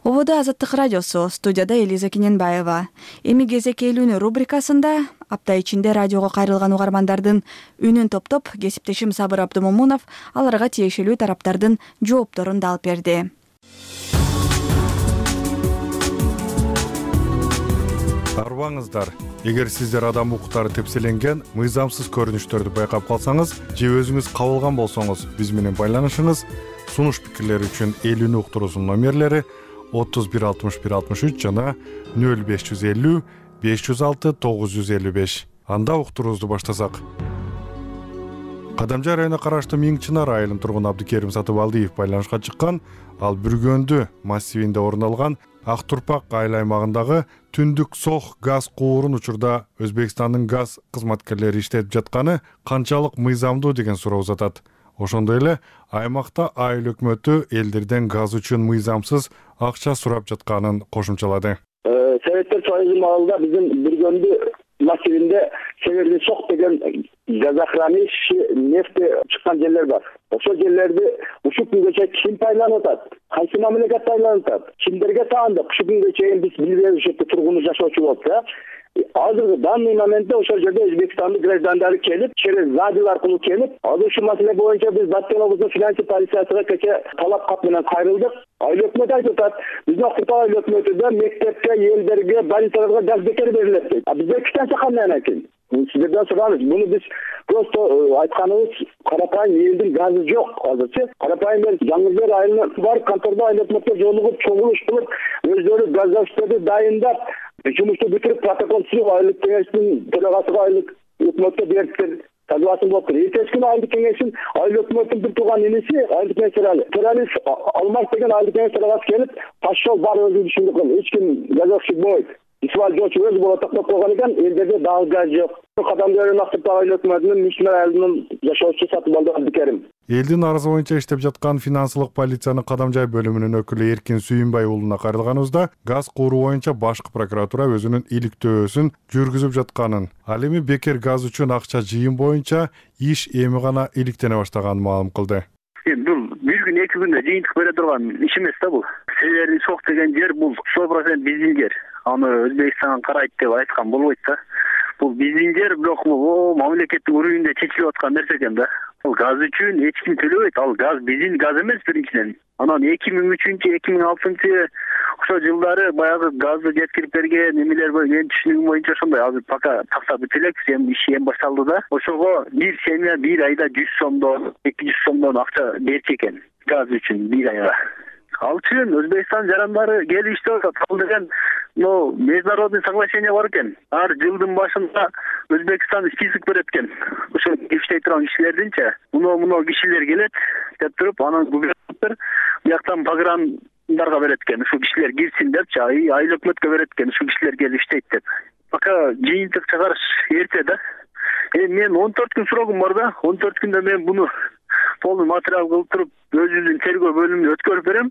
Ободо Азаттык радиосу, студияда Элиза Кененбаева. Эми кезек элүүнү рубрикасында апта ичинде радиого кайрылган угармандардын үнүн топтоп, кесиптешим Сабыр Абдымомунов аларга тиешелүү тараптардын жоопторун да алып берди. Арбаңыздар, эгер сиздер адам укуктары тепселенген, мыйзамсыз көрүнүштөрдү байкап калсаңыз же өзүңүз кабылган болсоңуз, биз менен байланышыңыз. Сунуш пикирлер үчүн элүүнү уктуруусунун номерлери 316163 жана 0550 506 955. Анда уктуруубузду баштасак. Кадамжай районуна караштуу Миңчынар айылынын тургуну Абдыкерим Сатыбалдиев байланышка чыккан. Ал Бүргөндү массивинде орун алган Ак Турпак айыл аймагындагы түндүк сох газ куурун учурда Өзбекстандын газ кызматкерлери иштетип жатканы канчалык мыйзамдуу деген суроо узатат. Ошондой эле аймакта айыл өкмөтү элдерден газ үчүн мыйзамсыз акча сурап жатканын кошумчалады. Советтер Союзу маалында биздин Бүргөндү массивинде Северный Сок деген газохранилище нефти чыккан жерлер бар. Ошол жерлерди ушул күнгө ким пайдаланып атат? Кайсы мамлекет пайдаланып атат? Кимдерге таандык? Ушул күнгө чейин биз билбейбиз, ошол жерде тургуну жашоочу болуп, Азыркы данный моментте ошол жерде Өзбекстандын граждандары келип, через радио аркылуу келип, азыр ушул маселе боюнча биз Баткен облусунун финансы полициясына кече талап кат менен кайрылдык. Айыл өкмөтү айтып атат, биздин Актурпак айыл өкмөтүдө мектепке, элдерге, больницаларга газ бекер берилет дейт. Бизде кичинче кандай экен? Сиздерден сурабыз. Буну биз просто айтканыбыз карапайым элдин газы жок азырчы. Карапайым мен Жаңылбек айылына барып, контордо айыл өкмөткө жолугуп, чогулуш кылып, өздөрү газдаштерди дайындап, жумушту бүтүрүп, протокол түзүп, айылдык кеңештин төрагасыга айылдык өкмөткө бериптир. Согласын болуптур. Эртеси күнү айылдык кеңештин айыл өкмөттүн бир тууган иниси айылдык кеңеш төрагасы Алмаз деген айылдык кеңеш төрагасы келип, пошел бар өзү ишинди кыл. Эч ким газовщик болбойт. Исмаил Жочу өзү боло токтоп койгон экен, элдерде дагы газ жок. Кадамжай районунун Актурпак айыл өкмөтүнүн Миңчынар айылынын жашоочусу Сатыбалды Абдыкерим. Элдин арызы боюнча иштеп жаткан финансылык полициянын Кадамжай бөлүмүнүн өкүлү Эркин Сүйүнбай уулуна кайрылганыбызда газ кууруу боюнча башкы прокуратура өзүнүн иликтөөсүн жүргүзүп жатканын, ал эми бекер газ үчүн акча жыйым боюнча иш эми гана иликтене баштаганын маалым кылды. Бул бир күн 2 күндө жыйынтык бере турган иш эмес да бул. Северный Сок деген жер бул 100% биздин жер. Аны Өзбекстан карайт деп айткан болбойт да. Бул биздин жер, бирок мамлекеттик уровеньде чечилип аткан нерсе экен да. Ал газ үчүн эч ким төлөбөйт. Ал газ биздин газ эмес биринчиден. Анан 2003-2006 ошо жылдары баягы газды жеткирип берген немелер бар. Менин түшүнүгүм боюнча ошондой. Азыр пока тактап бүтүлек, иши эми башталды да. Ошого бир семья бир айда 100 сомдон, 200 сомдон акча берчү экен газ үчүн бир айга. Ал үчүн Өзбекстан жарандары келишти, кабыл деген международный соглашение бар экен. Ар жылдын башында Өзбекстан список берет экен. Ошо иштей турган кишилердинче муну кишилер келет деп туруп, анан губернатор бияктан пограндарга берет экен. Ушул кишилер кирсин депчи, айыл өкмөткө берет экен. Ушул кишилер келип иштейт деп. Пока жыйынтык чыгарыш эрте да. Мен 14 күн срогум бар да. 14 күндө мен буну полный материал кылып туруп, өзүбүздүн тергөө бөлүмүнө өткөрүп берем.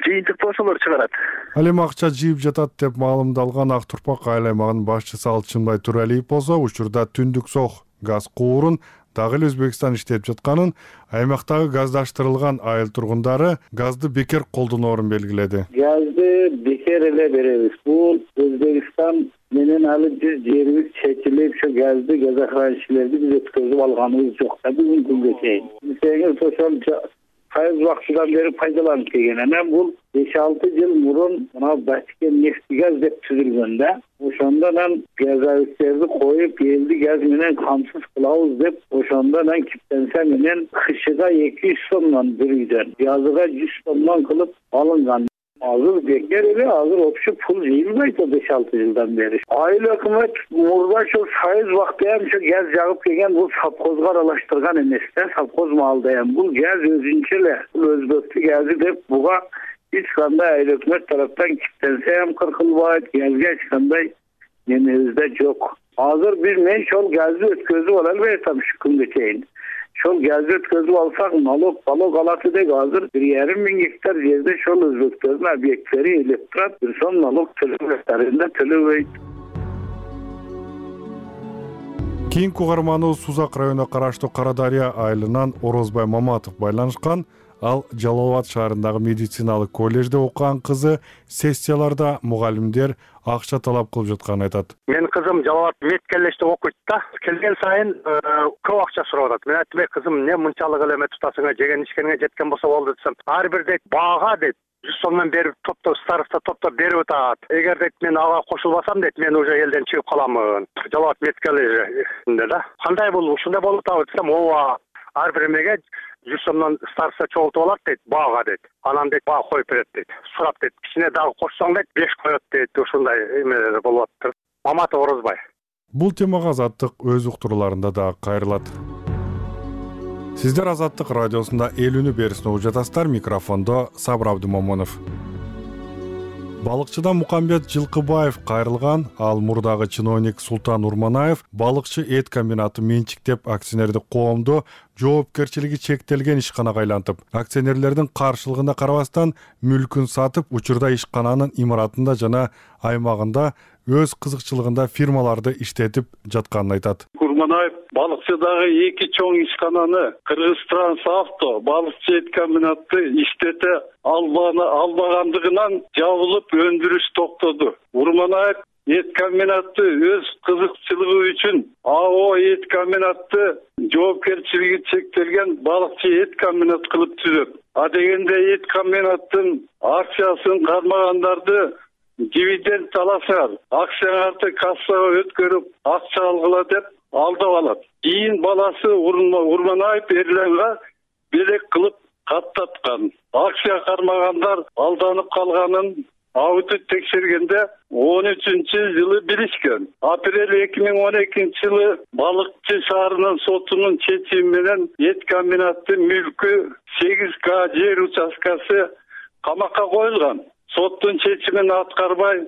Жыйынтыкты ошолор чыгарат. Ал эми акча жыйып жатат деп маалымдалган Ак Турпак айыл аймагынын башчысы Алчынбай Туралиев болсо, учурда Түндүк Сох газ куурун дагы эле Өзбекстан иштеп жатканын, аймактагы газдаштырылган айыл тургундары газды бекер колдоноорун белгиледи. Газды бекер эле беребиз. Бул Өзбекстан менен алы жүз жерибиз чечилип, ошо газды газохраничилерди биз өткөзүп алганыбыз жок да бүгүнкү күнгө чейин. Бизге ошол кайсы убактыдан бери пайдаланып келген. Анан бул 5-6 жыл мурун мына Баткен нефтегаз деп түзүлгөн да. Ошондон газовиктерди коюп, элди газ менен камсыз кылабыз деп, ошондон киптенсе менен кышыга 200 сомдон бир үйдөн, жазыга 100 сомдон кылып алынган. Азыр бекер эле, азыр вообще пул жыйылбайт 5-6 жылдан бери. Айыл өкмөт мурда ошо сайыз убакта ошо газ жагып келген, бул совхозго аралаштырган эмес да, совхоз маалда бул газ өзүнчө эле, бул өзбектин газы деп буга эч кандай айыл өкмөт тараптан киптенсе кыркылбайт, газга эч кандай немебиз да жок. Азыр мен ошол газды өткөзүп ала албай атам ушу күнгө чейин. Ошол газды өткөзүп алсак, налог алат элек. Азыр 1,5 миң гектар жерде ошол өзбектердин объекттери элеп турат, бир сом налог төлөбөйт. Кийинки угарманыбыз Сузак районуна караштуу Кара Дарыя айылынан Орозбай Маматов байланышкан. Ал Жалал Абад шаарындагы медициналык коллежде окуган кызы сессияларда мугалимдер акча талап кылып жатканын айтат. Менин кызым Жалал Абад медколлежде окуйт да. Келген сайын көп акча сурап атат. Мен айттым, кызым, эмне мынчалык эле тутасыңа, жеген ишкениңе жеткен болсо болду десем, ар бир дейт баага дейт 100 сомдон берип староста топтоп берип атат. Эгер дейт мен ага кошулбасам дейт, мен уже элден чыгып каламын. Жалал Абад медколлежинде да. Кандай бул ушундай болуп атабы десем, ооба, ар бир эмеге 100 сомдон староста чогултуп алат дейт, баага дейт. Анан дейт баа коюп берет дейт. Сурап дейт, кичине дагы кошсоң дейт 5 коет дейт. Ушундай эмелер болуп атат. Маматов Орозбай. Бул темага Азаттык өз уктурууларында да кайрылат. Сиздер Азаттык радиосунда Элүүнү берисин угуп жатасыздар. Микрофондо Сабыр Абдымомонов. Балыкчыдан Мукамбет Жылкыбаев кайрылган, ал мурдагы чиновник Султан Урманаев балыкчы эт комбинаты менчиктеп акционердик коомду жоопкерчилиги чектелген ишканага айлантып, акционерлердин каршылыгына карабастан мүлкүн сатып, учурда ишкананын имаратында жана аймагында өз кызыкчылыгында фирмаларды иштетип жатканын айтат. Урманаев балыкчыдагы 2 чоң ишкананы Кыргызтрансавто балыкчы эт комбинаты иштете албагандыгынан жабылып өндүрүш токтоду. Урманаев эт комбинаты өз кызыкчылыгы үчүн АО эт комбинаты жоопкерчилиги чектелген балыкчы эт комбинат кылып түзөт. А дегенде эт комбинаттын акциясын кармагандарды дивиденд аласыңар, акцияңарды кассага өткөрүп акча алгыла деп алдап алат. Кийин баласы Урманаев Эрланга белек кылып каттаткан. Акция кармагандар алданып калганын аудит текшергенде 13-жылы билишкен. Апрель 2012-жылы Балыкчы шаарынын сотунун чечими менен эт комбинаты мүлкү 8 жер участкасы камакка коюлган. Соттун чечимин аткарбай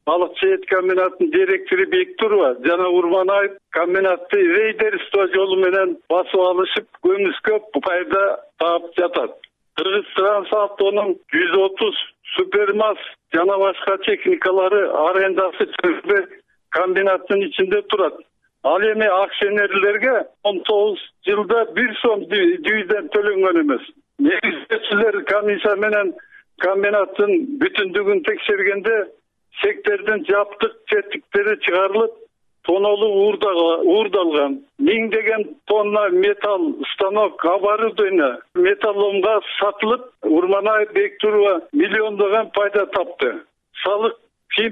Балыкчы эт комбинатынын директору Бектурова жана Урманаев комбинатты рейдерство жолу менен басып алышып, көмүскө пайда таап жатат. Кыргызтрансавтонун 130 супермаз жана башка техникалары арендасы түрүндө комбинаттын ичинде турат. Ал эми акционерлерге 19 жылда 1 сом дивиденд төлөнгөн эмес. Негизчилер комиссия менен комбинаттын бүтүндүгүн текшергенде сектордун жаптык четиктери чыгарылып, тонолуу уурдалган. Миңдеген тонна металл, станок, оборудование металломго сатылып, Урманаев Бектурова миллиондогон пайда тапты. Салык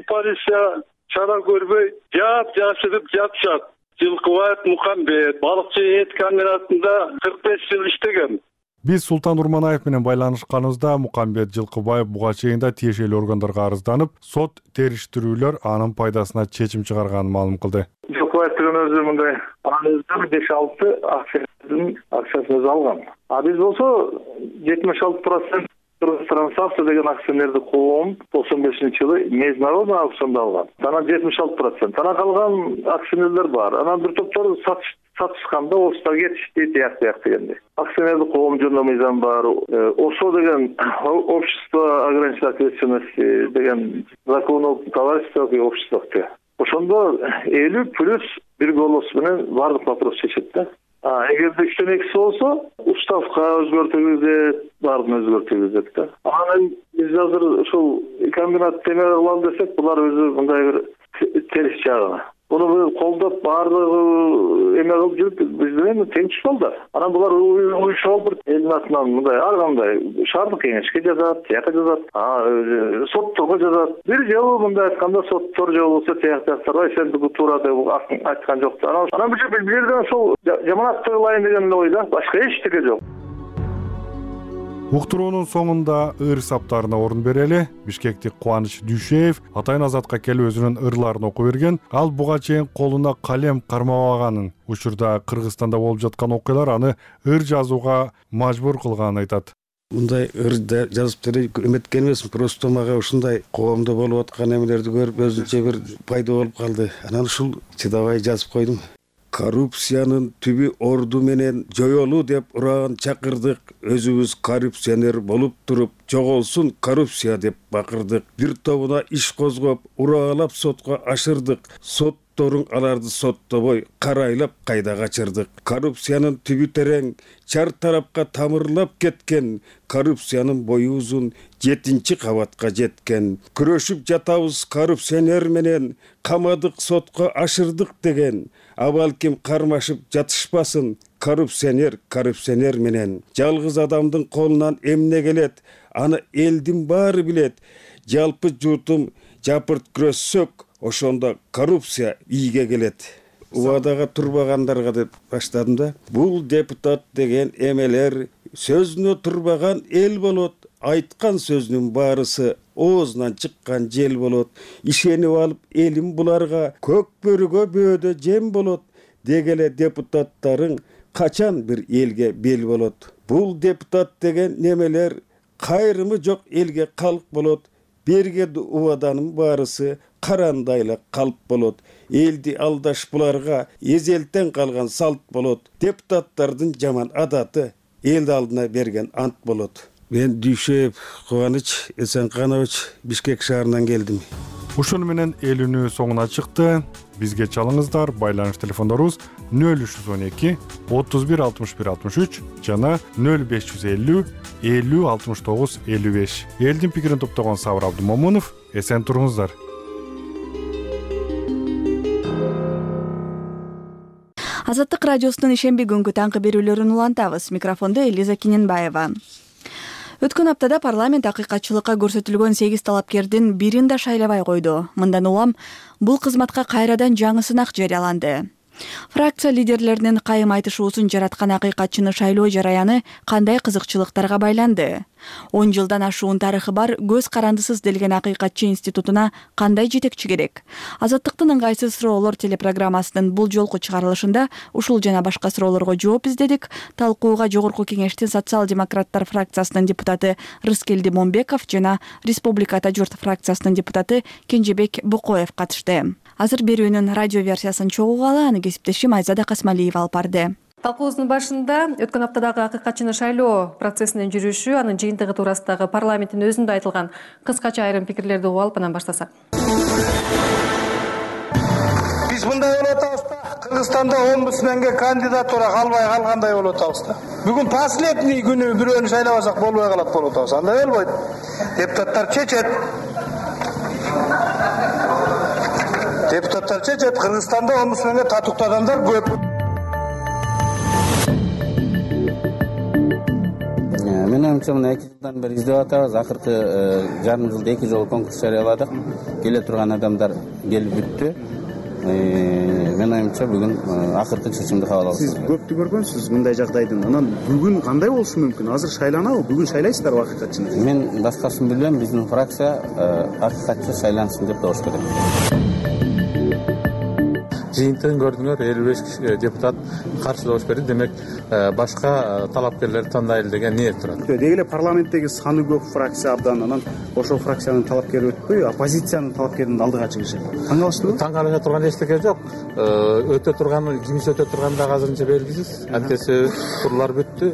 полиция чара көрбөй, жашырып жатышат. Жылкыбаев Мукамбет балыкчы эт комбинатында 45 жыл иштеген. Биз Султан Урманаев менен байланышканыбызда Мукамбет Жылкыбаев буга чейин да тиешелүү органдарга арызданып, сот териштирүүлөр анын пайдасына чечим чыгарганын маалым кылды. Жылкыбаев деген өзү мындай арыздар 5-6 акциясын өзү алган. А биз болсо 76% Трансавто деген акционерди коом 95-жылы международный аукционда алган. Анан 76%. Анан калган акционерлер бар. Анан бир топтор сатышканда офистер кетишти, тияк дегенде. Акционерди коом жөнүндө мыйзам бар. ОСО деген общество ограниченной ответственности деген закон об товариществах и обществах. Ошондо 50 плюс бир голос менен бардык вопрос чечет да. Эгерде 3-төн 2 болсо, уставка өзгөртүлөт, баарын өзгөртүлөт да. Анан биз азыр ушул комбинат теме кылам десек, булар өзү мындай бир терс жагы. Буну колдоп баардыгы эме кылып жүрүп, биз менен тең түшпөлдүр. Анан булар уюшуп элдин атынан мындай ар кандай шаардык кеңешке жазат, тияка жазат, сотторго жазат. Бир жолу мындай айтканда соттор же болбосо тияктар сен буга туура деп айткан жок. Анан бул жерден ошол жаманат кылайын деген ойда башка эчтеке жок. Уктуруунун соңунда ыр саптарына орун берели. Бишкектик Кубаныч Дүйшеев Атайын Азатка келип өзүнүн ырларын окуп берген. Ал буга чейин колуна калем кармабаганын, учурда Кыргызстанда болуп жаткан окуялар аны ыр жазууга мажбур кылганын айтат. Мындай ырда жазып эметкен эмесмин, просто мага ушундай коомдо болуп аткан эмелерди көрүп өзүнчө бир пайда болуп калды. Анан ушул чыдабай жазып койдум. Коррупциянын түбү орду менен жоёлуу деп ураган чакырдык. Өзүбүз коррупционер болуп туруп, жоголсун коррупция деп бакырдык. Бир тобуна иш козгоп, ураалап сотко ашырдык. Сотторуң аларды соттобой, карайлап кайда качырдык. Коррупциянын түбү терең, чар тарапка тамырлап кеткен. Коррупциянын бою узун, 7-кабатка жеткен. Күрөшүп жатабыз коррупционер менен, камадык сотко ашырдык деген. Абалким кармашып жатышпасын, коррупционер менен. Жалгыз адамдын колунан эмне келет, аны элдин баары билет. Жалпы журтум жапырт күрөшсөк, ошондо коррупция ийге келет. Убадага турбагандарга деп баштадым да. Бул депутат деген эмелер сөзүнө турбаган эл болот. Айткан сөзүнүн баарысы оозунан чыккан жел болот. Ишенип алып элим буларга көк бөрүгө бөөдө жем болот. Дегеле депутаттарың качан бир элге бел болот. Бул депутат деген немелер кайрымы жок элге калк болот. Берге убаданын баарысы карандайлы калп болот. Элди алдаш буларга эзелтен калган салт болот. Депутаттардын жаман адаты эл алдына берген ант болот. Мен Дүйшеев Кубаныч Эсенканович Бишкек шаарынан келдим. Ушуну менен элүүнү соңуна чыкты. Бизге чалыңыздар. Байланыш телефондорубуз 0312 31 61 63 жана 0550 50 69 55. Элдин пикирин топтогон Сабыр Абдумомунов. Эсен туруңуздар. Азаттык радиосунун ишемби күнгү таңкы берүүлөрүн улантабыз. Микрофондо Элиза Киненбаева. Өткөн аптада парламент акыйкатчылыкка көрсөтүлгөн 8 талапкердин бирин да шайлабай койду. Мындан улам бул кызматка кайрадан жаңы сынак жарыяланды. Фракция лидерлеринин кайым айтышуусун жараткан акыйкатчыны шайлоо жараяны кандай кызыкчылыктарга байланды? 10 жылдан ашуун тарыхы бар көз карандысыз делген акыйкатчы институтуна кандай жетекчи керек? Азаттыктын ыңгайсыз суроолор телепрограммасынын бул жолку чыгарылышында ушул жана башка суроолорго жооп издедик. Талкууга Жогорку кеңештин социал-демократтар фракциясынын депутаты Рыскелди Момбеков жана Республиката журт фракциясынын депутаты Кенжебек Букоев катышты. Азыр берүүнүн радио версиясын чогуугалы аны кесиптешим Айзада Касмалиева алып барды. Талкуубуздун башында өткөн аптадагы акыйкатчыны шайлоо процессинин жүрүшү, анын жыйынтыгы туурасындагы парламенттин өзүндө айтылган кыскача айрым пикирлерди угуп алып анан баштасак. Биз мындай болуп атабыз да, Кыргызстанда омбудсменге кандидатура калбай калгандай болуп атабыз да. Бүгүн последний күнү бирөөнү шайлабасак болбой калат болуп атабыз. Андай болбойт. Депутаттар чечет. Кыргызстанда омбудсменге татыктуу адамдар көп. Менин оюмча мына 2 жылдан бери издеп атабыз. Акыркы жарым жылда 2 жолу конкурс жарыяладык. Келе турган адамдар келип бүттү. Менин оюмча бүгүн акыркы чечимди кабыл алдык. Сиз көптү көргөнсүз мындай жагдайдын. Анан бүгүн кандай болушу мүмкүн? Азыр шайланабы? Бүгүн шайлайсыздарбы акыйкатчыны? Мен башкасын билбейм. Биздин фракция акыйкатчы шайлансын деп добуш берет. Жыйынтыгын көрдүңөр, 55 депутат каршы добуш берди. Демек, башка талапкерлерди тандайлы деген ниет турат. Деги эле парламенттеги саны көп фракция абдан, анан ошол фракциянын талапкери өтпөй, оппозициянын талапкеринин алдыга чыгышы. Таң калыштыбы? Таң калыша турган эчтеке жок. Өтө турган, кимиси өтө турганы дагы азырынча белгисиз. Антесе турлар бүттү.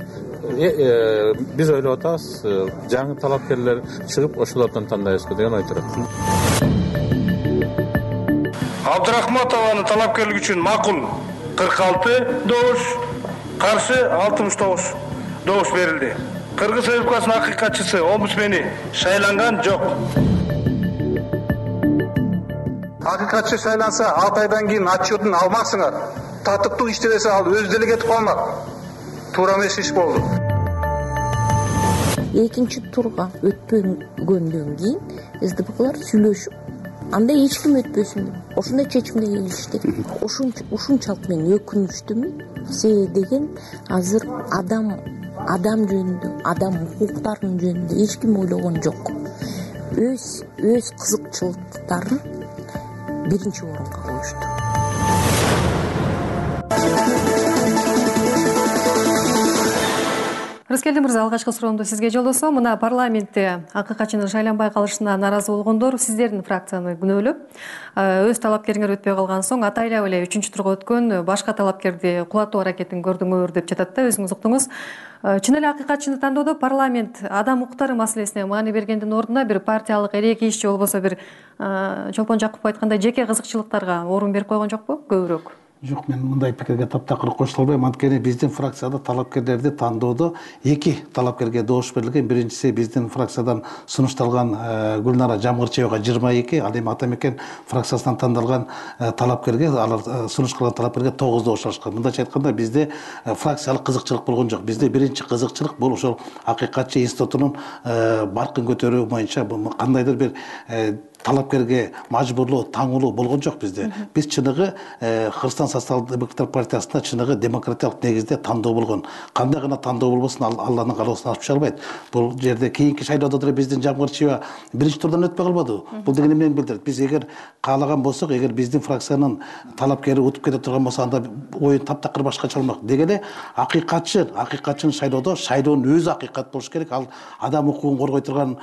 Биз ойлоп атабыз, жаңы талапкерлер чыгып, ошолордон тандайбызбы деген ой турат. Абдрахматованын талапкерлиги үчүн макул 46 добуш, каршы 69 добуш берилди. Кыргыз Республикасынын акыйкатчысы омбудсмени шайланган жок. Акыйкатчы шайланса 6 айдан кийин отчетун алмаксыңар. Татыктуу иштебесе ал өзү деле кетип калмак. Туура эмес иш болду. Экинчи турга өтпөгөндөн кийин СДПКлар сүйлөшүп, анда эч ким өтпөсүн деп ошондой чечимге келишти. Ушунчалык мен өкүнүчтүмүн. Себеби деген азыр адам жөнүндө, адам укуктарынын жөнүндө эч ким ойлогон жок. Өз кызыкчылыктарын биринчи орунга коюшту. Рыскелди мырза, алгачкы суроомду сизге жолдосом. Мына парламентте акыйкатчынын шайланбай калышына нааразы болгондор сиздердин фракцияны күнөөлөп, өз талапкериңер өтпөй калган соң атайлап эле 3-чү турга өткөн башка талапкерди кулатуу аракетин көрдүңөр деп жатат да, өзүңүз уктуңуз. Чын эле акыйкатчыны тандоодо парламент адам укуктары маселесине маани бергендин ордуна бир партиялык эреки иш же болбосо бир Чолпон Жакупов айткандай жеке кызыкчылыктарга орун берип койгон жокпу көбүрөөк? Жок, мен мындай пикирге таптакыр кошула албайм. Анткени биздин фракцияда талапкерлерди тандоодо 2 талапкерге добуш берилген. Биринчиси биздин фракциядан сунушталган Гүлнара Жамгырчиевага 22, ал эми Атамекен фракциясынан тандалган талапкерге, алар сунуш кылган талапкерге 9 добуш алышкан. Мындайча айтканда бизде фракциялык кызыкчылык болгон жок. Бизде биринчи кызыкчылык бул ошол акыйкатчы институтунун баркын көтөрүү боюнча кандайдыр бир талапкерге мажбурлоо, таңылуу болгон жок бизде. Биз чыныгы Кыргызстан социал-демократтар партиясында чыныгы демократиялык негизде тандоо болгон. Кандай гана тандоо болбосун, Алланын каалоосун ашып чыга албайт. Бул жерде кийинки шайлоодо деле биздин Жамгырчиева биринчи турдан өтпөй калбадыбы? Бул деген эмнени билдирет? Биз эгер каалаган болсок, эгер биздин фракциянын талапкери утуп кете турган болсо, анда оюн таптакыр башкача болмок. Деги эле акыйкатчынын шайлоодо шайлоонун өзү акыйкат болуш керек. Ал адам укугун коргой турган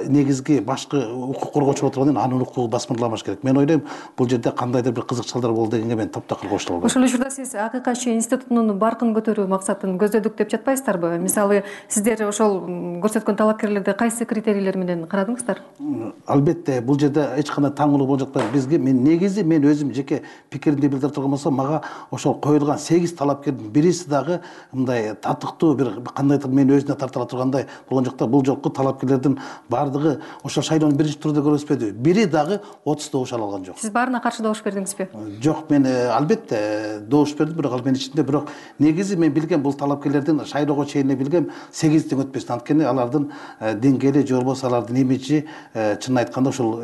негизги башкы укук коргоочу анын укугу басмырламаш керек. Мен ойлойм, бул жерде кандайдыр бир кызыкчылыктар болду дегенге мен таптакыр кошула албайм. Ошол учурда сиз акыйкатчы институтунун баркын көтөрүү максатын көздөдүк деп жатпайсыздарбы? Мисалы, сиздер ошол көрсөткөн талапкерлерди кайсы критерийлер менен карадыңыздар? Албетте, бул жерде эч кандай таңылуу болуп жатпайт. Бизге мен өзүм жеке пикиримди билдире турган болсом, мага ошол коюлган 8 талапкердин бириси дагы мындай татыктуу бир кандайдыр мени өзүнө тарта тургандай болгон жок да. Бул жолку талапкерлердин баардыгы ошол шайлоонун биринчи турда көрсөтпөдү. Бири дагы 30 добуш ала алган жок. Сиз баарына каршы добуш бердиңизби? Жок, мен албетте добуш бердим, бирок ал менин ичинде, бирок негизи мен билгем бул талапкерлердин шайлоого чейин билгем 8-тен өтпөсүн. Анткени алардын деңгээли же болбосо алардын имиджи чынын айтканда ошол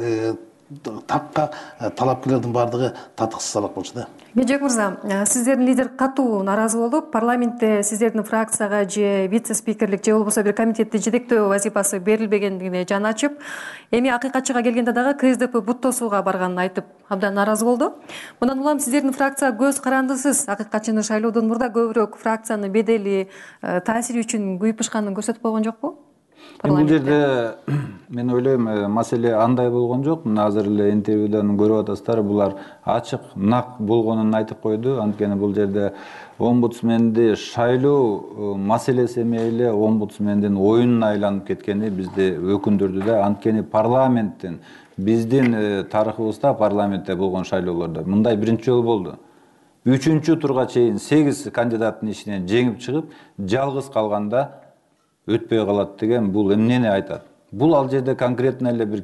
такка талапкерлердин баардыгы татыксыз алак болчу да. Меджек мырза, сиздердин лидер катуу нааразы болуп, парламентте сиздердин фракцияга же вице-спикерлик же болбосо бир комитетти жетектөө вазифасы берилбегендигине жаны ачып, эми акыйкатчыга келгенде дагы КСДП буттосууга барганын айтып, абдан нааразы болду. Мындан улам сиздердин фракция көз карандысыз акыйкатчыны шайлоодон мурда көбүрөөк фракциянын бедели, таасири үчүн күйүп пышканын көрсөтүп койгон жокпу? Бул жерде мен ойлойм, маселе андай болгон жок. Мына азыр эле интервьюдан көрүп атасыздар, булар ачык, нак болгонун айтып койду. Анткени бул жерде омбудсменди шайлоо маселеси эмеле омбудсмендин оюнуна айланып кеткени бизди өкүндүрдү да. Анткени парламенттин биздин тарыхыбызда парламентте болгон шайлоолордо мындай биринчи жолу болду. 3 турга чейин 8 кандидаттын ичинен жеңип чыгып, жалгыз калганда өтпөй калат деген бул эмнени айтат? Бул ал жерде конкретно эле бир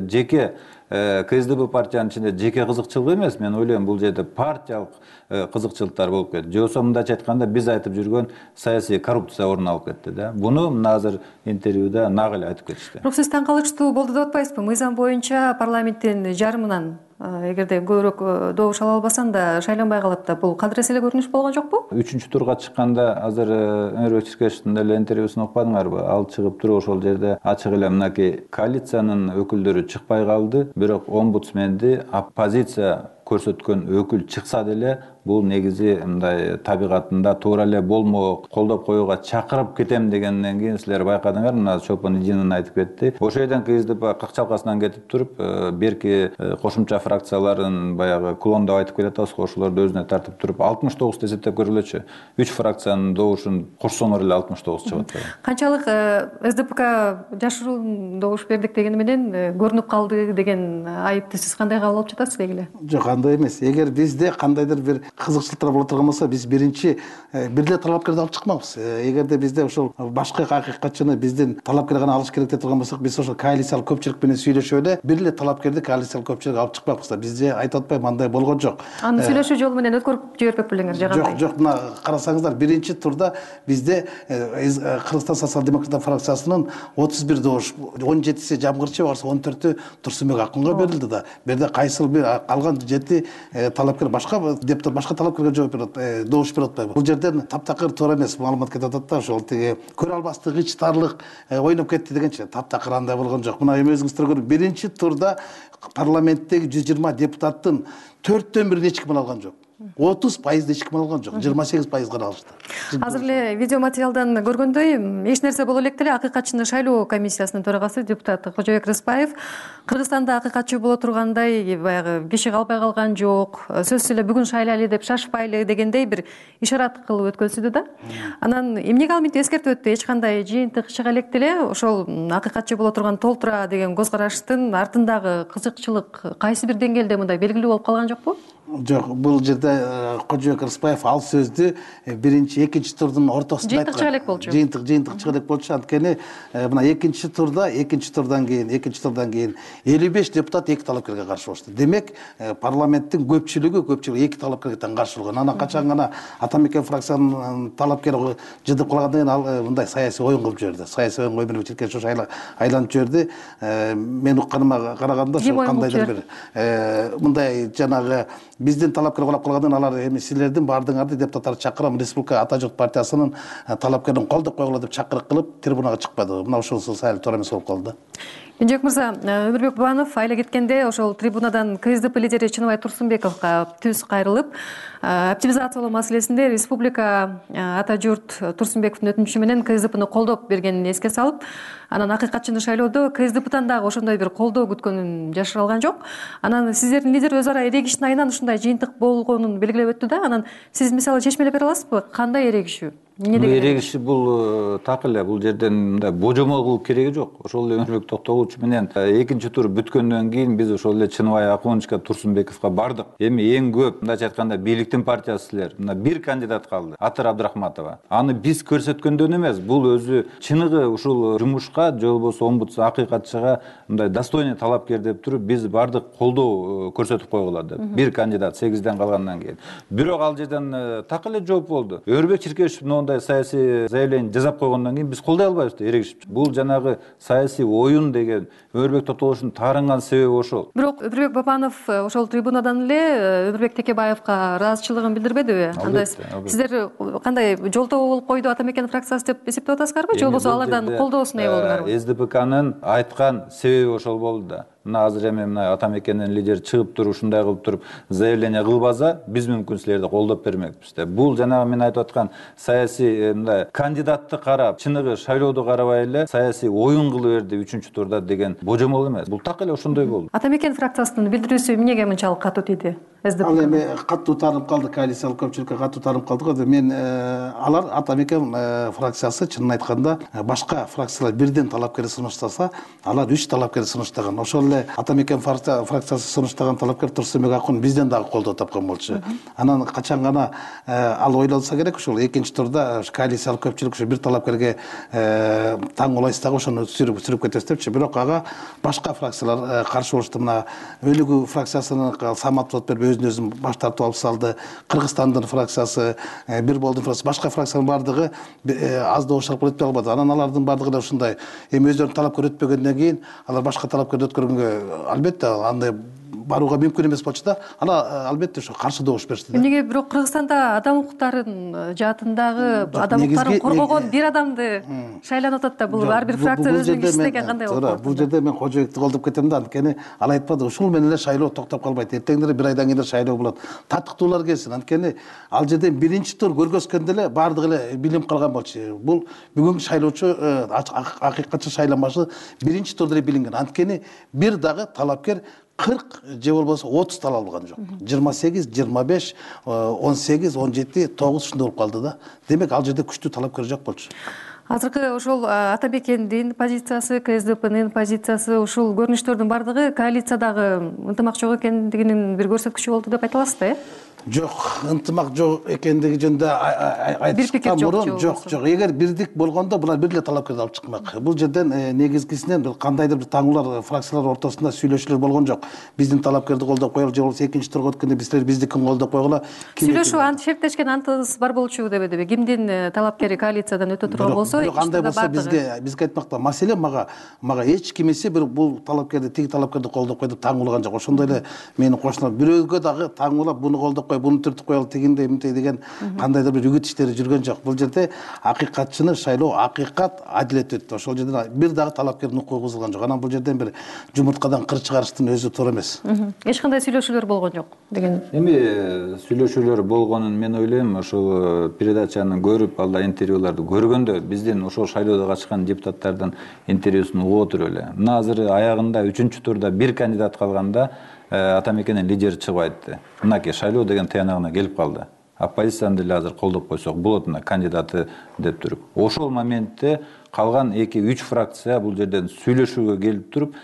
жеке КСДП партиянын ичинде жеке кызыкчылык эмес. Мен ойлойм, бул жерде партиялык кызыкчылыктар болуп кетти. Же болбосо мындайча айтканда, биз айтып жүргөн саясий коррупция орун алып кетти да. Буну азыр интервьюда нак эле айтып кетишти. Бирок сиз таң калыштуу болду деп атпайсызбы? Мыйзам боюнча парламенттин жарымынан эгерде көбүрөөк добуш ала албасаң да шайланбай калат да. Бул кандайсы эле көрүнүш болгон жокпу? 3-турга чыкканда азыр Өмүрбек Чиркешевдин эле интервьюсун окупадыңарбы? Ал чыгып туруп ошол жерде ачык эле мынакей коалициянын өкүлдөрү чыкпай калды, бирок омбудсменди оппозиция көрсөткөн өкүл чыкса деле бул негизи мындай табигатында туура эле болмок, колдоп коюуга чакырып кетем дегенден кийин силер байкадыңар, мына Чолпон Идинин айтып кетти. Ошол жерден КСДП какчалкасынан кетип туруп, берки кошумча фракцияларын баягы клондоп айтып келе атабыз, ошолорду өзүнө тартып туруп 69 эсептеп көргүлөчү. 3 фракциянын добушун кошсоңор эле 69 чыгат. Канчалык СДПК жашыруун добуш бердик дегени менен көрүнүп калды деген айыпты сиз кандай кабыл алып жатасыз белгиле? Жок, андай эмес. Эгер бизде кандайдыр бир кызыкчылыктар боло турган болсо, биз биринчи бир эле талапкерди алып чыкмакпыз. Эгерде бизде ошол башка акыйкатчыны биздин талапкер гана алыш керек деп турган болсок, биз ошол коалициялык көпчүлүк менен сүйлөшүп эле бир эле талапкерди коалициялык көпчүлүк алып чыкпакпыз да. Бизде айтып атпайбы, андай болгон жок. Аны сүйлөшүү жолу менен өткөрүп жиберпек белеңер же кандай? Жок, мына карасаңыздар, биринчи турда бизде Кыргызстан социал-демократтар фракциясынын 31 добуш, 17си Жамгырчы барса 14-ү Турсунбек Акунга берилди да. Берде кайсыл бир калган 7 талапкер башка депутат башка талапкерге жооп берет, добуш берип атпайбы? Бул жерден таптакыр туура эмес маалымат кетип атат да, ошол тиги көрө албастык, ичтарлык ойноп кетти дегенчи. Таптакыр андай болгон жок. Мына эми өзүңүздөр көрүп, биринчи турда парламенттеги 120 депутаттын 4төн бирин эч ким алган жок. 30% эч ким алган жок, 28% гана алышты. Азыр эле видео материалдан көргөндөй, эч нерсе боло элек деле акыйкатчыны шайлоо комиссиясынын төрагасы депутат Кожобек Рыспаев Кыргызстанда акыйкатчы боло тургандай баягы киши калбай калган жок, сөзсүз эле бүгүн шайлайлы деп шашпайлы дегендей бир ишарат кылып өткөнсүдү да. Анан эмнеге ал мынтип эскертип өттү? Эч кандай жыйынтык чыга элек деле ошол акыйкатчы боло турган толтура деген көз караштын артындагы кызыкчылык кайсы бир деңгээлде мындай белгилүү болуп калган жокпу? Жок, бул жерде Кожобек Рыспаев ал сөздү биринчи, экинчи турдун ортосунда айткан. Жыйынтык чыга элек болчу. Жыйынтык чыга элек болчу. Анткени мына экинчи турдан кийин 55 депутат эки талапкерге каршы болушту. Демек, парламенттин көпчүлүгү 2 талапкерге тең каршы болгон. Анан качан гана Атамекен фракциянын талапкери жыдып калгандан кийин ал мындай саясий оюн кылып жиберди. Саясий оюн Өмүрбек Чиркешев айланып жиберди. Мен укканыма караганда ошол кандайдыр бир мындай жанагы биздин талапкер калап калгандан алар эми силердин баардыгыңарды депутаттарды чакырам, Республика Ата журт партиясынын талапкерин колдоп койгула деп чакырык кылып трибунага чыкпады. Мына ошонусу сайыл туура эмес болуп калды. Кенжебек мырза, Өмүрбек Бабанов айла кеткенде ошол трибунадан КСДП лидери Чыныбай Турсунбековго түз кайрылып, оптимизациялоо маселесинде Республика Ата журт Турсунбековдун өтүнүчү менен КСДПны колдоп бергенин эске салып, анан акыйкатчыны шайлоодо КСДПдан дагы ошондой бир колдоо күткөнүн жашыра алган жок. Анан сиздердин лидер өз ара эрегиштин айынан ушундай жыйынтык болгонун белгилеп өттү да. Анан сиз мисалы чечмелеп бере аласызбы? Кандай эрегишүү? Эрегиши бул так эле, бул жерден мындай божомол кылып кереги жок. Ошол эле Өмүрбек Токтогулович менен экинчи тур бүткөндөн кийин биз ошол эле Чыныбай Акуновичке, Турсунбековго бардык. Эми эң көп мындайча айтканда бийликтин партиясы силер. Мына бир кандидат калды, Атыр Абдрахматова. Аны биз көрсөткөндөн эмес, бул өзү чыныгы ушул жумушка же болбосо омбудс акыйкатчыга мындай достойный талапкер деп туруп биз бардык колдоо көрсөтүп койгула деп. Бир кандидат 8ден калгандан кийин. Бирок ал жерден так эле жооп болду. Өмүрбек Чиркешев мындай саясий заявление жасап койгондон кийин биз колдой албайбыз деп эрегишип. Бул жанагы саясий оюн деген Өмүрбек Токтогуловичтун таарынган себеби ошол. Бирок Өмүрбек Бабанов ошол трибунадан эле Өмүрбек Текебаевга ыраазычылыгын билдирбедиби? Анда сиздер кандай жолтоо болуп койду Атамекен фракциясы деп эсептеп атасыздарбы? Же болбосо алардан колдоосуна ээ болдуңарбы? СДПКнын айткан себеби ошол болду да. Мына азыр эми мына Атамекендин лидери чыгып туруп ушундай кылып туруп заявление кылбаса, биз мүмкүн силерди колдоп бермекпиз деп. Бул жанагы мен айтып аткан саясий мындай кандидатты карап, чыныгы шайлоодо карабай эле саясий оюн кылып берди 3-чү турда деген божомол эмес. Бул так эле ошондой болду. Атамекен фракциясынын билдирүүсү эмнеге мынчалык катуу тийди? ал эми катуу тааныp калды, коалициялык көпчүлүккө катуу тааныp калды го. Мен алар ата мекен фракциясы чынын айтканда башка фракциялар бирден талапкер сунуштаса, алар 3 талапкер сунуштаган. Ошол эле ата мекен фракциясы сунуштаган талапкер Турсунбек Акун бизден дагы колдоо тапкан болчу. Анан качан гана ал ойлонсо керек, ушул экинчи турда коалициялык көпчүлүк ушу бир талапкерге таң улайсыз дагы ошону сүрүп кетесиз депчи. Бирок ага башка фракциялар каршы болушту. Мына Өлүгү фракциясынын Самат Сотбербиев өзүн баш тартып алып салды. Кыргызстандын фракциясы, Бир Болдун фракциясы, башка фракциянын бардыгы аз добуш алып өтпөй калбады. Анан алардын бардыгы да ушундай. Эми өздөрүнүн талапкер өтпөгөндөн кийин алар башка талапкерди өткөргөнгө албетте андай барууга мүмкүн эмес болчу да. Ана албетте ошо каршы добуш беришти. Эмнеге бирок Кыргызстанда адам укуктарын жаатындагы адам укуктарын коргогон бир адамды шайланып атат да. Бул ар бир фракция өзүнүн кишиси деген кандай болот? Бул жерде мен кожоюкту колдоп кетем да. Анткени ал айтпады, ушул менен эле шайлоо токтоп калбайт. Эртең бир айдан кийин шайлоо болот. Таттыктуулар келсин. Анткени ал жерден биринчи тур көргөзгөндө эле баардыгы эле билип калган болчу. Бул бүгүнкү шайлоочу акыйкатчы шайламашы биринчи турда эле билинген. Анткени бир дагы талапкер 40 же болбосо 30 тал алган жок. 28, 25, 18, 17, 9 ушундай болуп калды да. Демек ал жерде күчтүү талапкер жок болчу. Азыркы ошол ата мекендин позициясы, КСДПнын позициясы, ушул көрүнүштөрдүн бардыгы коалициядагы ынтымак жок экендигинин бир көрсөткүчү болду деп айта аласыз да, э? Жок, ынтымак жок экендиги жөнүндө айтышкан мурун жок. Эгер бирдик болгондо булар бир эле талапкерди алып чыкмак. Бул жерден негизгисинен бир кандайдыр бир таңуулар фракциялар ортосунда сүйлөшүүлөр болгон жок. Биздин талапкерди колдоп коелу, же болбосо экинчи турга өткөндө биздер биздикин колдоп койгула. Сүйлөшүү шерттешкен антыбыз бар болчу дебедиби? Кимдин талапкери коалициядан өтө турган болсо, андай болсо бизге айтмакта. Маселе мага эч кимиси бир бул талапкерди, тиги талапкерди колдоп кой деп таңуулган жок. Ошондой эле менин кошуналар бирөөгө дагы таңуулап буну колдоп кой, буну түртүп коелу, тигиндей мынтей деген кандайдыр бир үгүт иштери жүргөн жок. Бул жерде акыйкатчыны шайлоо акыйкат, адилет өттү. Ошол жерде бир дагы талапкердин укугу бузулган жок. Анан бул жерден бир жумурткадан кыр чыгарыштын өзү туура эмес. Эч кандай сүйлөшүүлөр болгон жок деген. Эми сүйлөшүүлөр болгонун мен ойлойм. Ошол передачаны көрүп, алда интервьюларды көргөндө биздин ошол шайлоодо катышкан депутаттардын интервьюсун угуп отуруп эле. Мына азыр аягында 3-чү турда бир кандидат калганда ата мекенин лидери чыгып айтты. Мынакей шайлоо деген тыянагына келип калды. Оппозицияны деле азыр колдоп койсок болот мына кандидаты деп туруп. Ошол моментте калган 2-3 фракция бул жерден сүйлөшүүгө келип туруп,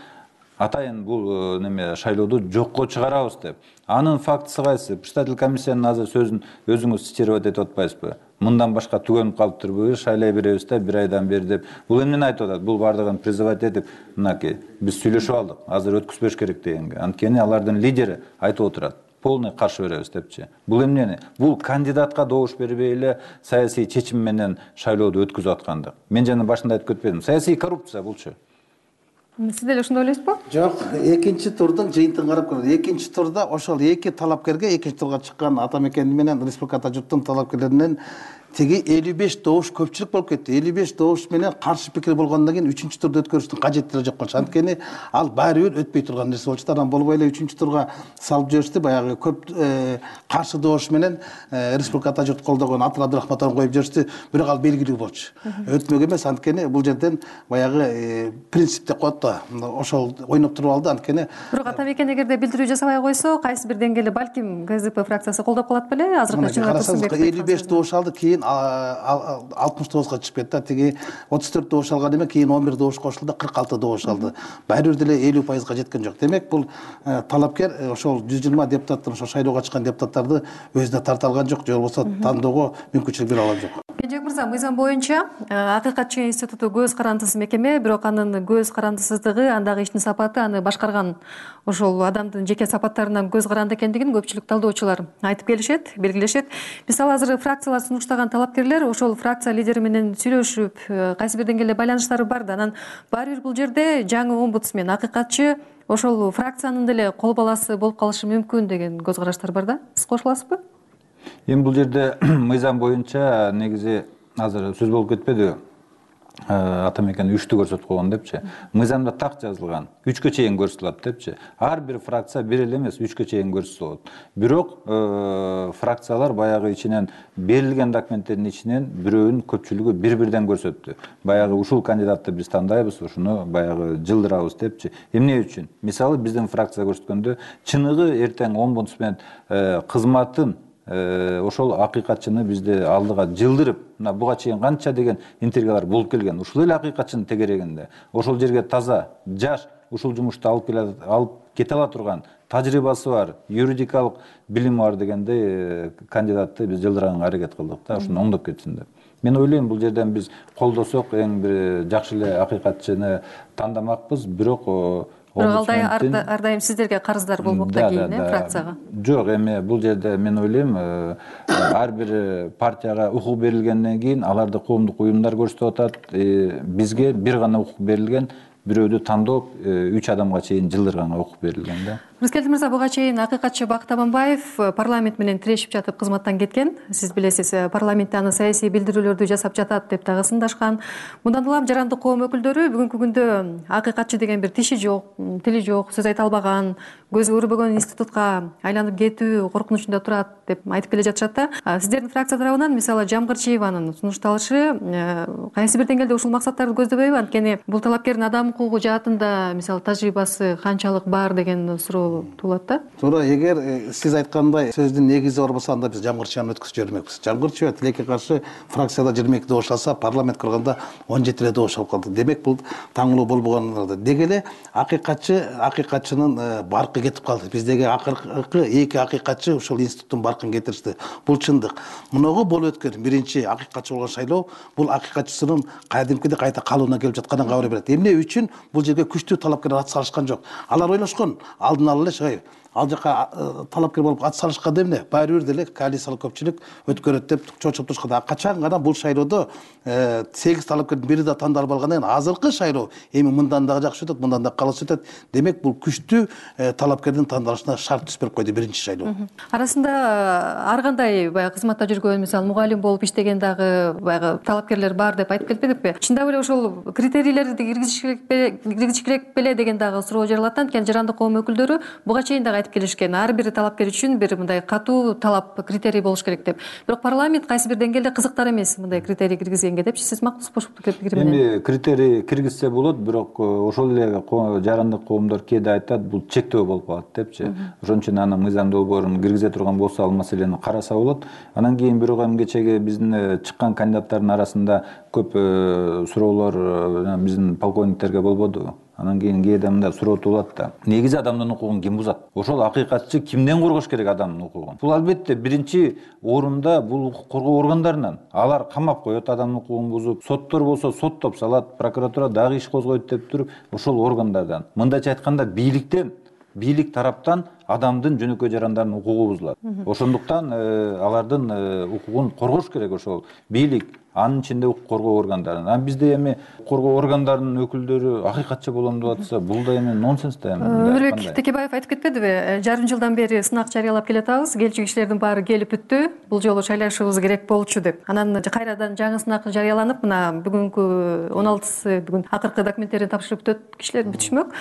атайын бул неме шайлоодо жокко чыгарабыз деп. Анын фактысы кайсы? Председатель комиссиянын азыр сөзүн өзүңүз цитировать этип атпайсызбы? Мындан башка түгөнүп калыптырбы, шайлай беребиз да, бир айдан бери деп. Бул эмнени айтып атат? Бул бардыгын призывать этип, мынакей, биз сүйлөшүп алдык, азыр өткүзбөш керек дегенге. Анткени алардын лидери айтып отурат. Полный каршы беребиз депчи. Бул эмнени? Бул кандидатка добуш бербей эле саясий чечим менен шайлоодо өткүзүп аткандык. Мен жана башында айтып кетпедим. Саясий коррупция булчу. Сиз деле ошондой ойлойсузбу? Жок, экинчи турдун жыйынтыгын карап көрдүк. Экинчи турда ошол эки талапкерге, экинчи турга чыккан ата мекени менен Республика Ата журттун талапкерлеринен теги 55 добуш көпчүлүк болуп кетти. 55 добуш менен каршы пикир болгондон кийин 3-чү турда өткөрүштүн кажеттиги жок болчу. Анткени ал баары бир өтпөй турган нерсе болчу. Анан болбой эле 3-чү турга салып жиберишти. Баягы көп каршы добуш менен Республика Ата журт колдогон Атыл Абдырахматовду коюп жиберишти. Бирок ал белгилүү болчу. Өтмөк эмес, анткени бул жерден баягы принцип деп коет да. Ошол ойноп туруп алды. Анткени бирок ата мекен эгерде билдирүү жасабай койсо, кайсы бир деңгээлде балким КСДП фракциясы колдоп калат беле? Азыркы чыгып 55 добуш алды, кийин 69-га чыгып кетти. Тиги 34 добуш алган эме, кийин 11 добуш кошулду, 46 добуш алды. Баары бир деле 50%га жеткен жок. Демек бул талапкер ошол 120 депутаттын ошол шайлоого чыккан депутаттарды өзүнө тарта алган жок, же болбосо тандоого мүмкүнчүлүк бере алган жок. Кенжебек мырза, мыйзам боюнча акыйкатчы институту көз карандысыз мекеме, бирок анын көз карандысыздыгы, андагы иштин сапаты, аны башкарган ошол адамдын жеке сапаттарынан көз каранды экендигин көпчүлүк талдоочулар айтып келишет, белгилешет. Мисалы азыр фракциялар сунуштаган талапкерлер ошол фракция лидери менен сүйлөшүп, кайсы бир деңгээлде байланыштары бар да, анан баары бир бул жерде жаңы омбудсмен, акыйкатчы ошол фракциянын деле кол баласы болуп калышы мүмкүн деген көз караштар бар да. Сиз кошуласызбы? Эми бул жерде мыйзам боюнча негизи азыр сөз болуп кетпедиби? ата мекен 3-тү көрсөтүп койгон депчи. Мыйзамда так жазылган 3кө чейин көрсөтүлөт депчи. Ар бир фракция бир эле эмес 3кө чейин көрсөтүлөт. Бирок фракциялар баягы ичинен берилген документтердин ичинен бирөөнүн көпчүлүгү бир-бирден көрсөттү. Баягы ушул кандидатты биз тандайбыз, ушуну баягы жылдырабыз депчи. Эмне үчүн? Мисалы биздин фракция көрсөткөндө чыныгы эртең омбудсмен кызматын ошол акыйкатчыны бизде алдыга жылдырып, мына буга чейин канча деген интригалар болуп келген. Ушул эле акыйкатчынын тегерегинде ошол жерге таза, жаш, ушул жумушту алып кете ала турган, тажрыйбасы бар, юридикалык билими бар дегендей кандидатты биз жылдырганга аракет кылдык да, ушуну оңдоп кетсин деп. Мен ойлойм, бул жерден биз колдосок эң бир жакшы эле акыйкатчыны тандамакпыз, бирок ар дайым сиздерге карыздар болмок да кийин фракцияга. Жок, эми бул жерде мен ойлойм, ар бир партияга укук берилгенден кийин аларды коомдук уюмдар көрсөтүп атат. Бизге бир гана укук берилген, бирөөдү тандоо 3 адамга чейин жылдырганга укук берилген да. Рыскелди мырза, буга чейин акыйкатчы Бакыт Аманбаев парламент менен тирешип жатып кызматтан кеткен. Сиз билесиз, парламентте аны саясий билдирүүлөрдү жасап жатат деп дагы сындашкан. Мындан улам жарандык коом өкүлдөрү бүгүнкү күндө акыйкатчы деген бир тиши жок, тили жок, сөз айта албаган, көзү көрбөгөн институтка айланып кетүү коркунучунда турат деп айтып келе жатышат да. Сиздердин фракция тарабынан мисалы Жамгырчиеванын сунушталышы кайсы бир деңгээлде ушул максаттарды көздөбөйбү? Анткени бул талапкердин адам укугу жаатында мисалы тажрыйбасы канчалык бар деген суроо туулат да. Туура, эгер сиз айткандай сөздүн негизи бар болсо, анда биз Жамгырчиеваны өткөзүп жибермекпиз. Жамгырчиева тилекке каршы фракцияда 22 добуш алса, парламент курганда 17 эле добуш алып калды. Демек бул таңылуу болбогон. Деги эле акыйкатчынын баркы кетип калды. Биздеги акыркы 2 акыйкатчы ушул институттун баркын кетиришти. Бул чындык. Мунугу болуп өткөн биринчи акыйкатчы болгон шайлоо бул акыйкатчысынын кадимкиде кайта калууна келип жатканын кабар берет. Эмне үчүн бул жерге күчтүү талапкерлер ат салышкан жок? Алар ойлошкон, алдын ала эле ал жака талапкер болуп ат салышканда эмне? Баары бир деле коалициялык көпчүлүк өткөрөт деп чочуп турушканда, качан гана бул шайлоодо 8 талапкердин бири да тандалып алгандан кийин азыркы шайлоо эми мындан дагы жакшы өтөт, мындан да калыс өтөт. Демек бул күчтүү талапкердин тандалышына шарт түзүп берип койду биринчи шайлоо. Арасында ар кандай баягы кызматта жүргөн, мисалы мугалим болуп иштеген дагы баягы талапкерлер бар деп айтып келбедикпи? Чындап эле ошол критерийлерди киргизиш керек беле деген дагы суроо жаралат. Анткени жарандык коом өкүлдөрү буга чейин дагы айтып келишкен, ар бир талапкер үчүн бир мындай катуу талап, критерий болуш керек деп. Бирок парламент кайсы бир деңгээлде кызыктар эмес мындай критерий киргизгенге депчи. Сиз макташпашыптыр пикири менен? Эми критерий киргизсе болот, бирок ошол эле жарандык коомдор кээде айтат, бул чектөө болуп калат депчи. Ошон үчүн аны мыйзам долбоорун киргизе турган болсо, ал маселени караса болот. Анан кийин бирок эми кечеги биздин чыккан кандидаттардын арасында көп суроолор биздин полковниктерге болбоду. Анан кийин кээде мындай суроо туулат да. Негизи адамдын укугун ким бузат? Ошол акыйкатчы кимден коргош керек адамдын укугун? Бул албетте биринчи орунда бул укук коргоо органдарынан. Алар камап коет адамдын укугун бузуп, соттор болсо соттоп салат, прокуратура дагы иш козгойт деп туруп, ошол органдардан. Мындайча айтканда бийлик тараптан адамдын жөнөкөй жарандардын укугу бузулат. Ошондуктан алардын укугун коргош керек ошол бийлик, анын ичинде укук коргоо органдарын. Анан бизде эми коргоо органдарынын өкүлдөрү акыйкатчы болом деп атса, бул да эми нонсенс да эми. Өмүрбек Текебаев айтып кетпедиби? Жарым жылдан бери сынак жарыялап келатабыз, келчү кишилердин баары келип бүттү. Бул жолу шайлашыбыз керек болчу деп. Анан кайрадан жаңы сынак жарыяланып, мына бүгүнкү 16-сы бүгүн акыркы документтерин тапшырып кишилер бүтүшмөк.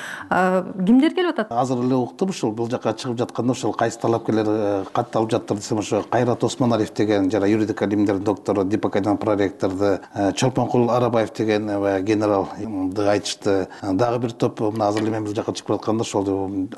Кимдер келип атат? Азыр эле уктум, ушул бул жака чыгып жатканда ошол кайсы талапкерлер катталып жаттыр десем, ошо Кайрат Осмоналиев деген жана юридика илимдеринин доктору, Дипакайдан проректорду, Чолпонкул Арабаев деген генералды айтышты. Дагы бир топ мына азыр эле мен бул жака чыгып атканда ошол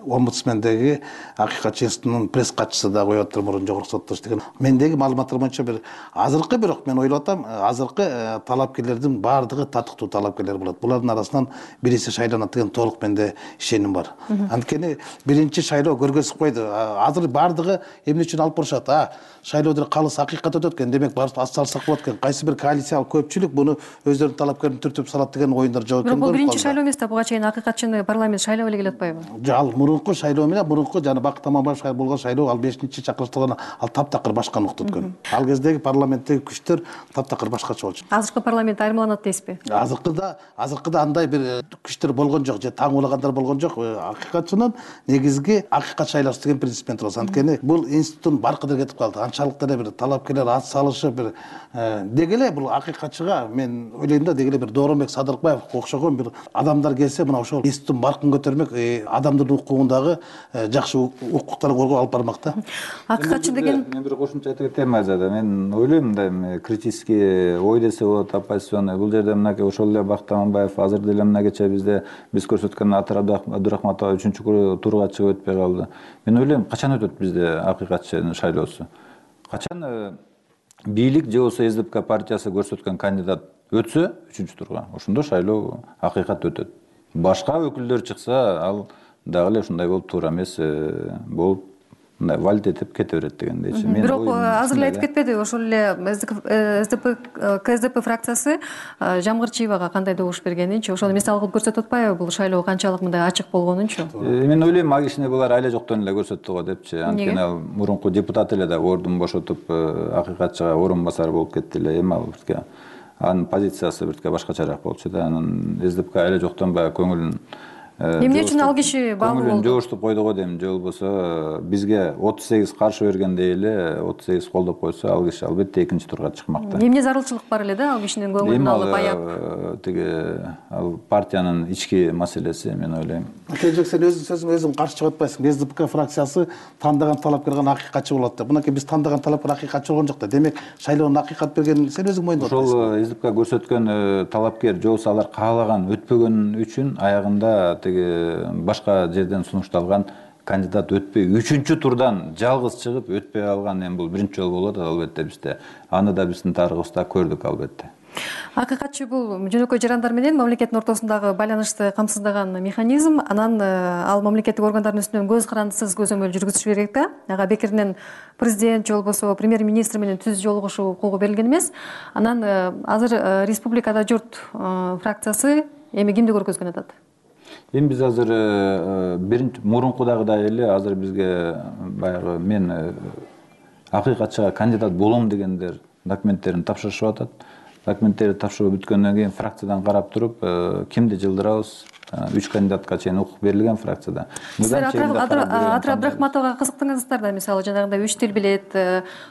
омбудсмендеги акыйкатчы институтунун пресс катчысы да коюп атыр, мурун жогорку сотто иштеген. Мендеги маалыматтар боюнча бир азыркы, бирок мен ойлоп атам, азыркы талапкерлердин баардыгы татыктуу талапкерлер болот. Булардын арасынан бириси шайланат деген толук менде ишеним бар. Анткени биринчи шайлоо көргөзүп койду. Азыр баардыгы эмне үчүн алып барышат? Шайлоодо калыс акыйкат өтөт экен, демек барып ат салсак болот экен. Кайсы бир коалициялык көпчүлүк буну өздөрүнүн талапкерин түртүп салат деген оюндар жок экен. Бирок бул биринчи шайлоо эмес да, буга чейин акыйкатчыны парламент шайлап эле келе атпайбы? Ал мурунку шайлоо менен мурунку жана Бакыт Аманбаев болгон шайлоо, ал 5-чи чакырыштаган, ал таптакыр башка нукта өткөн. Ал кездеги парламенттеги күчтөр таптакыр башкача болчу. Азыркы парламент айырмаланат дейсизби? Азыркыда андай бир күчтөр болгон жок, же таң улагандар болгон жок. Акыйкатчынын негизги акыйкат шайлаш деген принцип менен турабыз. Анткени бул институттун баркы кетип калды. Анчалык деле бир талапкерлер ат салышып бир деги эле бул акыйкатчыга мен ойлойм да, деги эле бир Дооронбек Садыркбаевге окшогон бир адамдар келсе, мына ошол институттун баркын көтөрмөк, адамдардын укугундагы жакшы укуктарды коргоо алып бармак да. Акыйкатчы деген мен бир кошумча айта кетем Азада. Мен ойлойм мындай критический ой десе болот, оппозиционный. Бул жерде мынакей ошол эле Бакыт Аманбаев азыр деле мынакече биз көрсөткөн Атыр Абдурахматова 3-турга чыгып өтпөй калды. Мен ойлойм, качан өтөт бизде акыйкатчынын шайлоосу? Качан бийлик же болбосо СДПК партиясы көрсөткөн кандидат өтсө 3-турга, ошондо шайлоо акыйкат өтөт. Башка өкүлдөр чыкса, ал дагы эле ушундай болуп туура эмес болуп мындай валит этип кете берет дегендейчи. Бирок азыр эле айтып кетпеди, ошол эле КСДП фракциясы Жамгырчиевага кандай добуш бергенинчи, ошону мисал кылып көрсөтүп атпайбы бул шайлоо канчалык мындай ачык болгонунчу? Мен ойлойм, ал кишини булар айла жоктон эле көрсөттү го депчи. Анткени ал мурунку депутат эле да ордун бошотуп акыйкатчыга орун басар болуп кетти эле. Эми ал бирке анын позициясы бирке башкачараак болчу да. Анын СДПК айла жоктон баягы көңүлүн Эмне үчүн ал киши баалуу болду? Жогуштуп койду го дейм, же болбосо бизге 38 каршы бергендей эле 38 колдоп койсо, ал киши албетте 2-турга чыкмак да. Эмне зарылчылык бар эле да ал кишинин көңүлүн алып аяп? Тиги ал партиянын ички маселеси, мен ойлойм. Келжек, сен өзүң каршы чыгып атпайсың. СДПК фракциясы тандаган талапкер гана акыйкатчы болот деп. Мынакей биз тандаган талапкер акыйкатчы болгон жок да. Демек, шайлоонун акыйкат бергенин сен өзүң мойындоп атпайсың. Ошол СДПК көрсөткөн талапкер же болбосо алар каалаган өтпөгөн үчүн аягында башка жерден сунушталган кандидат өтпөй 3-турдан жалгыз чыгып өтпөй калган, эми бул биринчи жолу болот албетте бизде. Аны да биздин тарыхыбызда көрдүк албетте. Акыйкатчы бул жөнөкөй жарандар менен мамлекеттин ортосундагы байланышты камсыздаган механизм. Анан ал мамлекеттик органдардын үстүнөн көз карандысыз көзөмөл жүргүзүш керек да. Ага бекеринен президент же болбосо премьер-министр менен түз жолугушуу укугу берилген эмес. Анан азыр Республикада журт фракциясы эми кимди көргөзгөн атат? Эми биз азыр мурункудагыдай эле азыр бизге баягы мен акыйкатчыга кандидат болом дегендер документтерин тапшырышып атат. Документтерди тапшырып бүткөндөн кийин фракциядан карап туруп, кимди жылдырабыз? 3 кандидатка чейин укук берилген фракцияда. Силер Атыр Абдрахматовага кызыктыңыздар да, мисалы жанагындай 3 тил билет,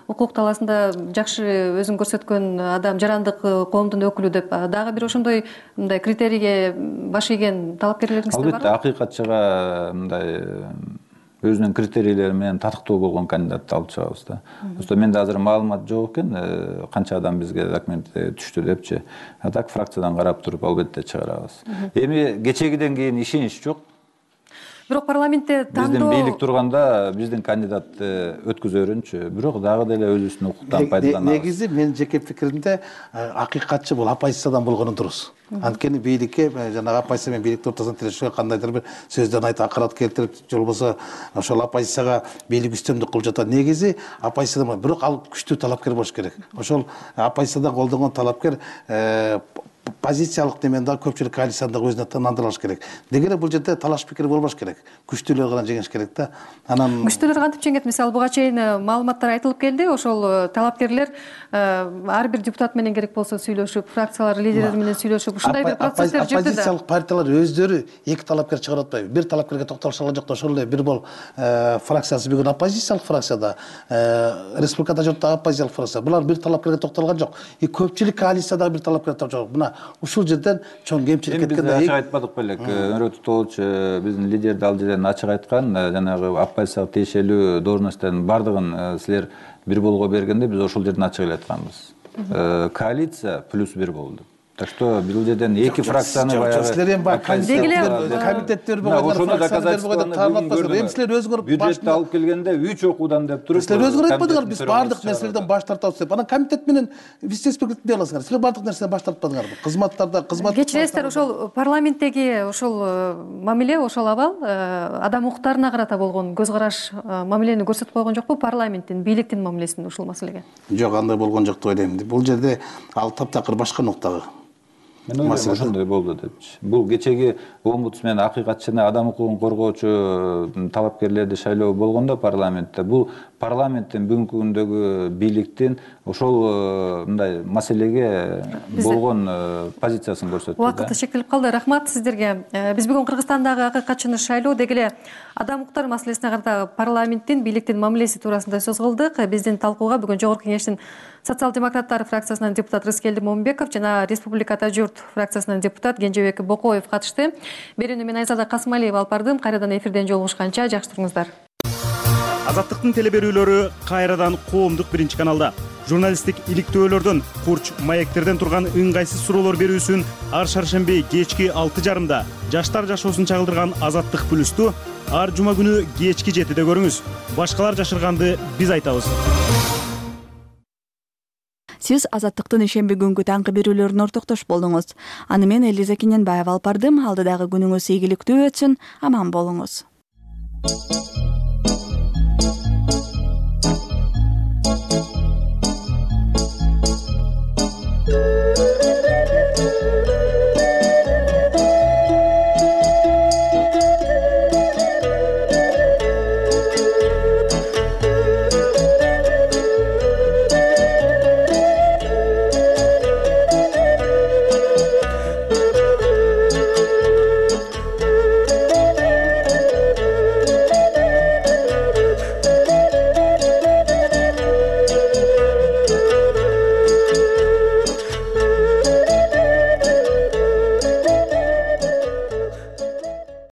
укук талаасында жакшы өзүн көрсөткөн адам, жарандык коомдун өкүлү деп дагы бир ошондой мындай критерийге баш ийген талапкерлериңиз барбы? Албетте акыйкатчыга мындай өзүнүн критерийлери менен татыктуу болгон кандидатты алып чыгабыз да. Просто менде азыр маалымат жок экен, канча адам бизге документ түштү депчи. А так фракциядан карап туруп албетте чыгарабыз. Эми кечегиден кийин ишенич жок. Бирок парламентте тандоо биздин бийлик турганда биздин кандидатты өткөзөрүнчү. Бирок дагы деле өзүбүздүн укуктан пайдаланабыз. Негизи менин жеке пикиримде акыйкатчы бул оппозициядан болгону дурус. Анткени бийликке жанагы оппозиция менен бийликтин ортосуна тирешүүгө кандайдыр бир сөздөн айтып акырат келтирип, же болбосо ошол оппозицияга бийлик үстөмдүк кылып жатат. Негизи оппозициядан, бирок ал күчтүү талапкер болуш керек. Ошол оппозициядан колдонгон талапкер позициялык немен дагы көпчүлүк коалицияны дагы өзүнө ынандыра алыш керек. Деги эле бул жерде талаш пикир болбош керек. Күчтүүлөр гана жеңиш керек да. Анан күчтүүлөр кантип жеңет? Мисалы буга чейин маалыматтар айтылып келди. Ошол талапкерлер ар бир депутат менен керек болсо сүйлөшүп, фракциялар лидерлери менен сүйлөшүп, ушундай бир процесстер жүрдү да. Оппозициялык партиялар өздөрү 2 талапкер чыгарып атпайбы? Бир талапкерге токтолушкан жок да. Ошол эле бир бол фракциясы бүгүн оппозициялык фракцияда, республикада журттагы оппозициялык фракция. Булар бир талапкерге токтолгон жок. Көпчүлүк коалициядагы бир талапкер токтолгон жок. Мына ушул жерден чоң кемчилик кеткен да. Биз ачык айтпадык белек. Өнөрөк Тутулович биздин лидер дал жерден ачык айткан, жанагы оппозицияга тиешелүү должносттордун бардыгын силер бир болго бергенде биз ошол жерден ачык эле айтканбыз. Коалиция +1 болду. Так что бул жерден 2 фракцияны баягы силер эми комитеттер болгон ошону доказательствону эми силер өзүңөр бюджетти алып келгенде 3 окуудан деп туруп силер өзүңөр айтпадыңар биз баардык нерселерден баш тартабыз деп. Анан комитет менен вице-спикерлик дей аласыңар. Силер баардык нерседен баш тартпадыңарбы? Кызматтарда кечиресиздер, ошол парламенттеги ошол мамиле, ошол абал адам укуктарына карата болгон көз караш мамилени көрсөтүп койгон жокпу парламенттин, бийликтин мамилесин ушул маселеге? Жок, андай болгон жок деп ойлойм. Бул жерде ал таптакыр башка нуктагы. мен ойлойм ошондой болду депчи. Бул кечеги омбудсмен акыйкатчы жана адам укугун коргоочу талапкерлерди шайлоо болгондо парламентте, бул парламенттин бүгүнкү күндөгү бийликтин ошол мындай маселеге болгон позициясын көрсөттү. Убакыт шектелип калды. Рахмат сиздерге. Биз бүгүн Кыргызстандагы акыйкатчыны шайлоо деги эле адам укуктары маселесине карата парламенттин бийликтин мамилеси туурасында сөз кылдык. Биздин талкууга бүгүн Жогорку Кеңештин социал-демократтар фракциясынан депутат Рыскелди Момунбеков жана Республиката журт фракциясынан депутат Кенжебек Бокоев катышты. Берүүнү мен Айзада Касымалиева алып бардым. Кайрадан эфирден жолугушканча жакшы туруңуздар. Азаттыктын телеберүүлөрү кайрадан коомдук биринчи каналда. Журналисттик иликтөөлөрдөн, курч маектерден турган ыңгайсыз суроолор берүүсүн ар шаршемби кечки 6:30 жаштар жашоосун чагылдырган Азаттык плюсту ар жума күнү кечки 7-де көрүңүз. Башкалар жашырганды биз айтабыз. Сиз Азаттыктын ишемби күнгү таңкы берүүлөрүнө ортоктош болдуңуз. Аны мен Элиза Кененбаева алып бардым. Алдыдагы күнүңүз ийгиликтүү өтсүн. Аман болуңуз.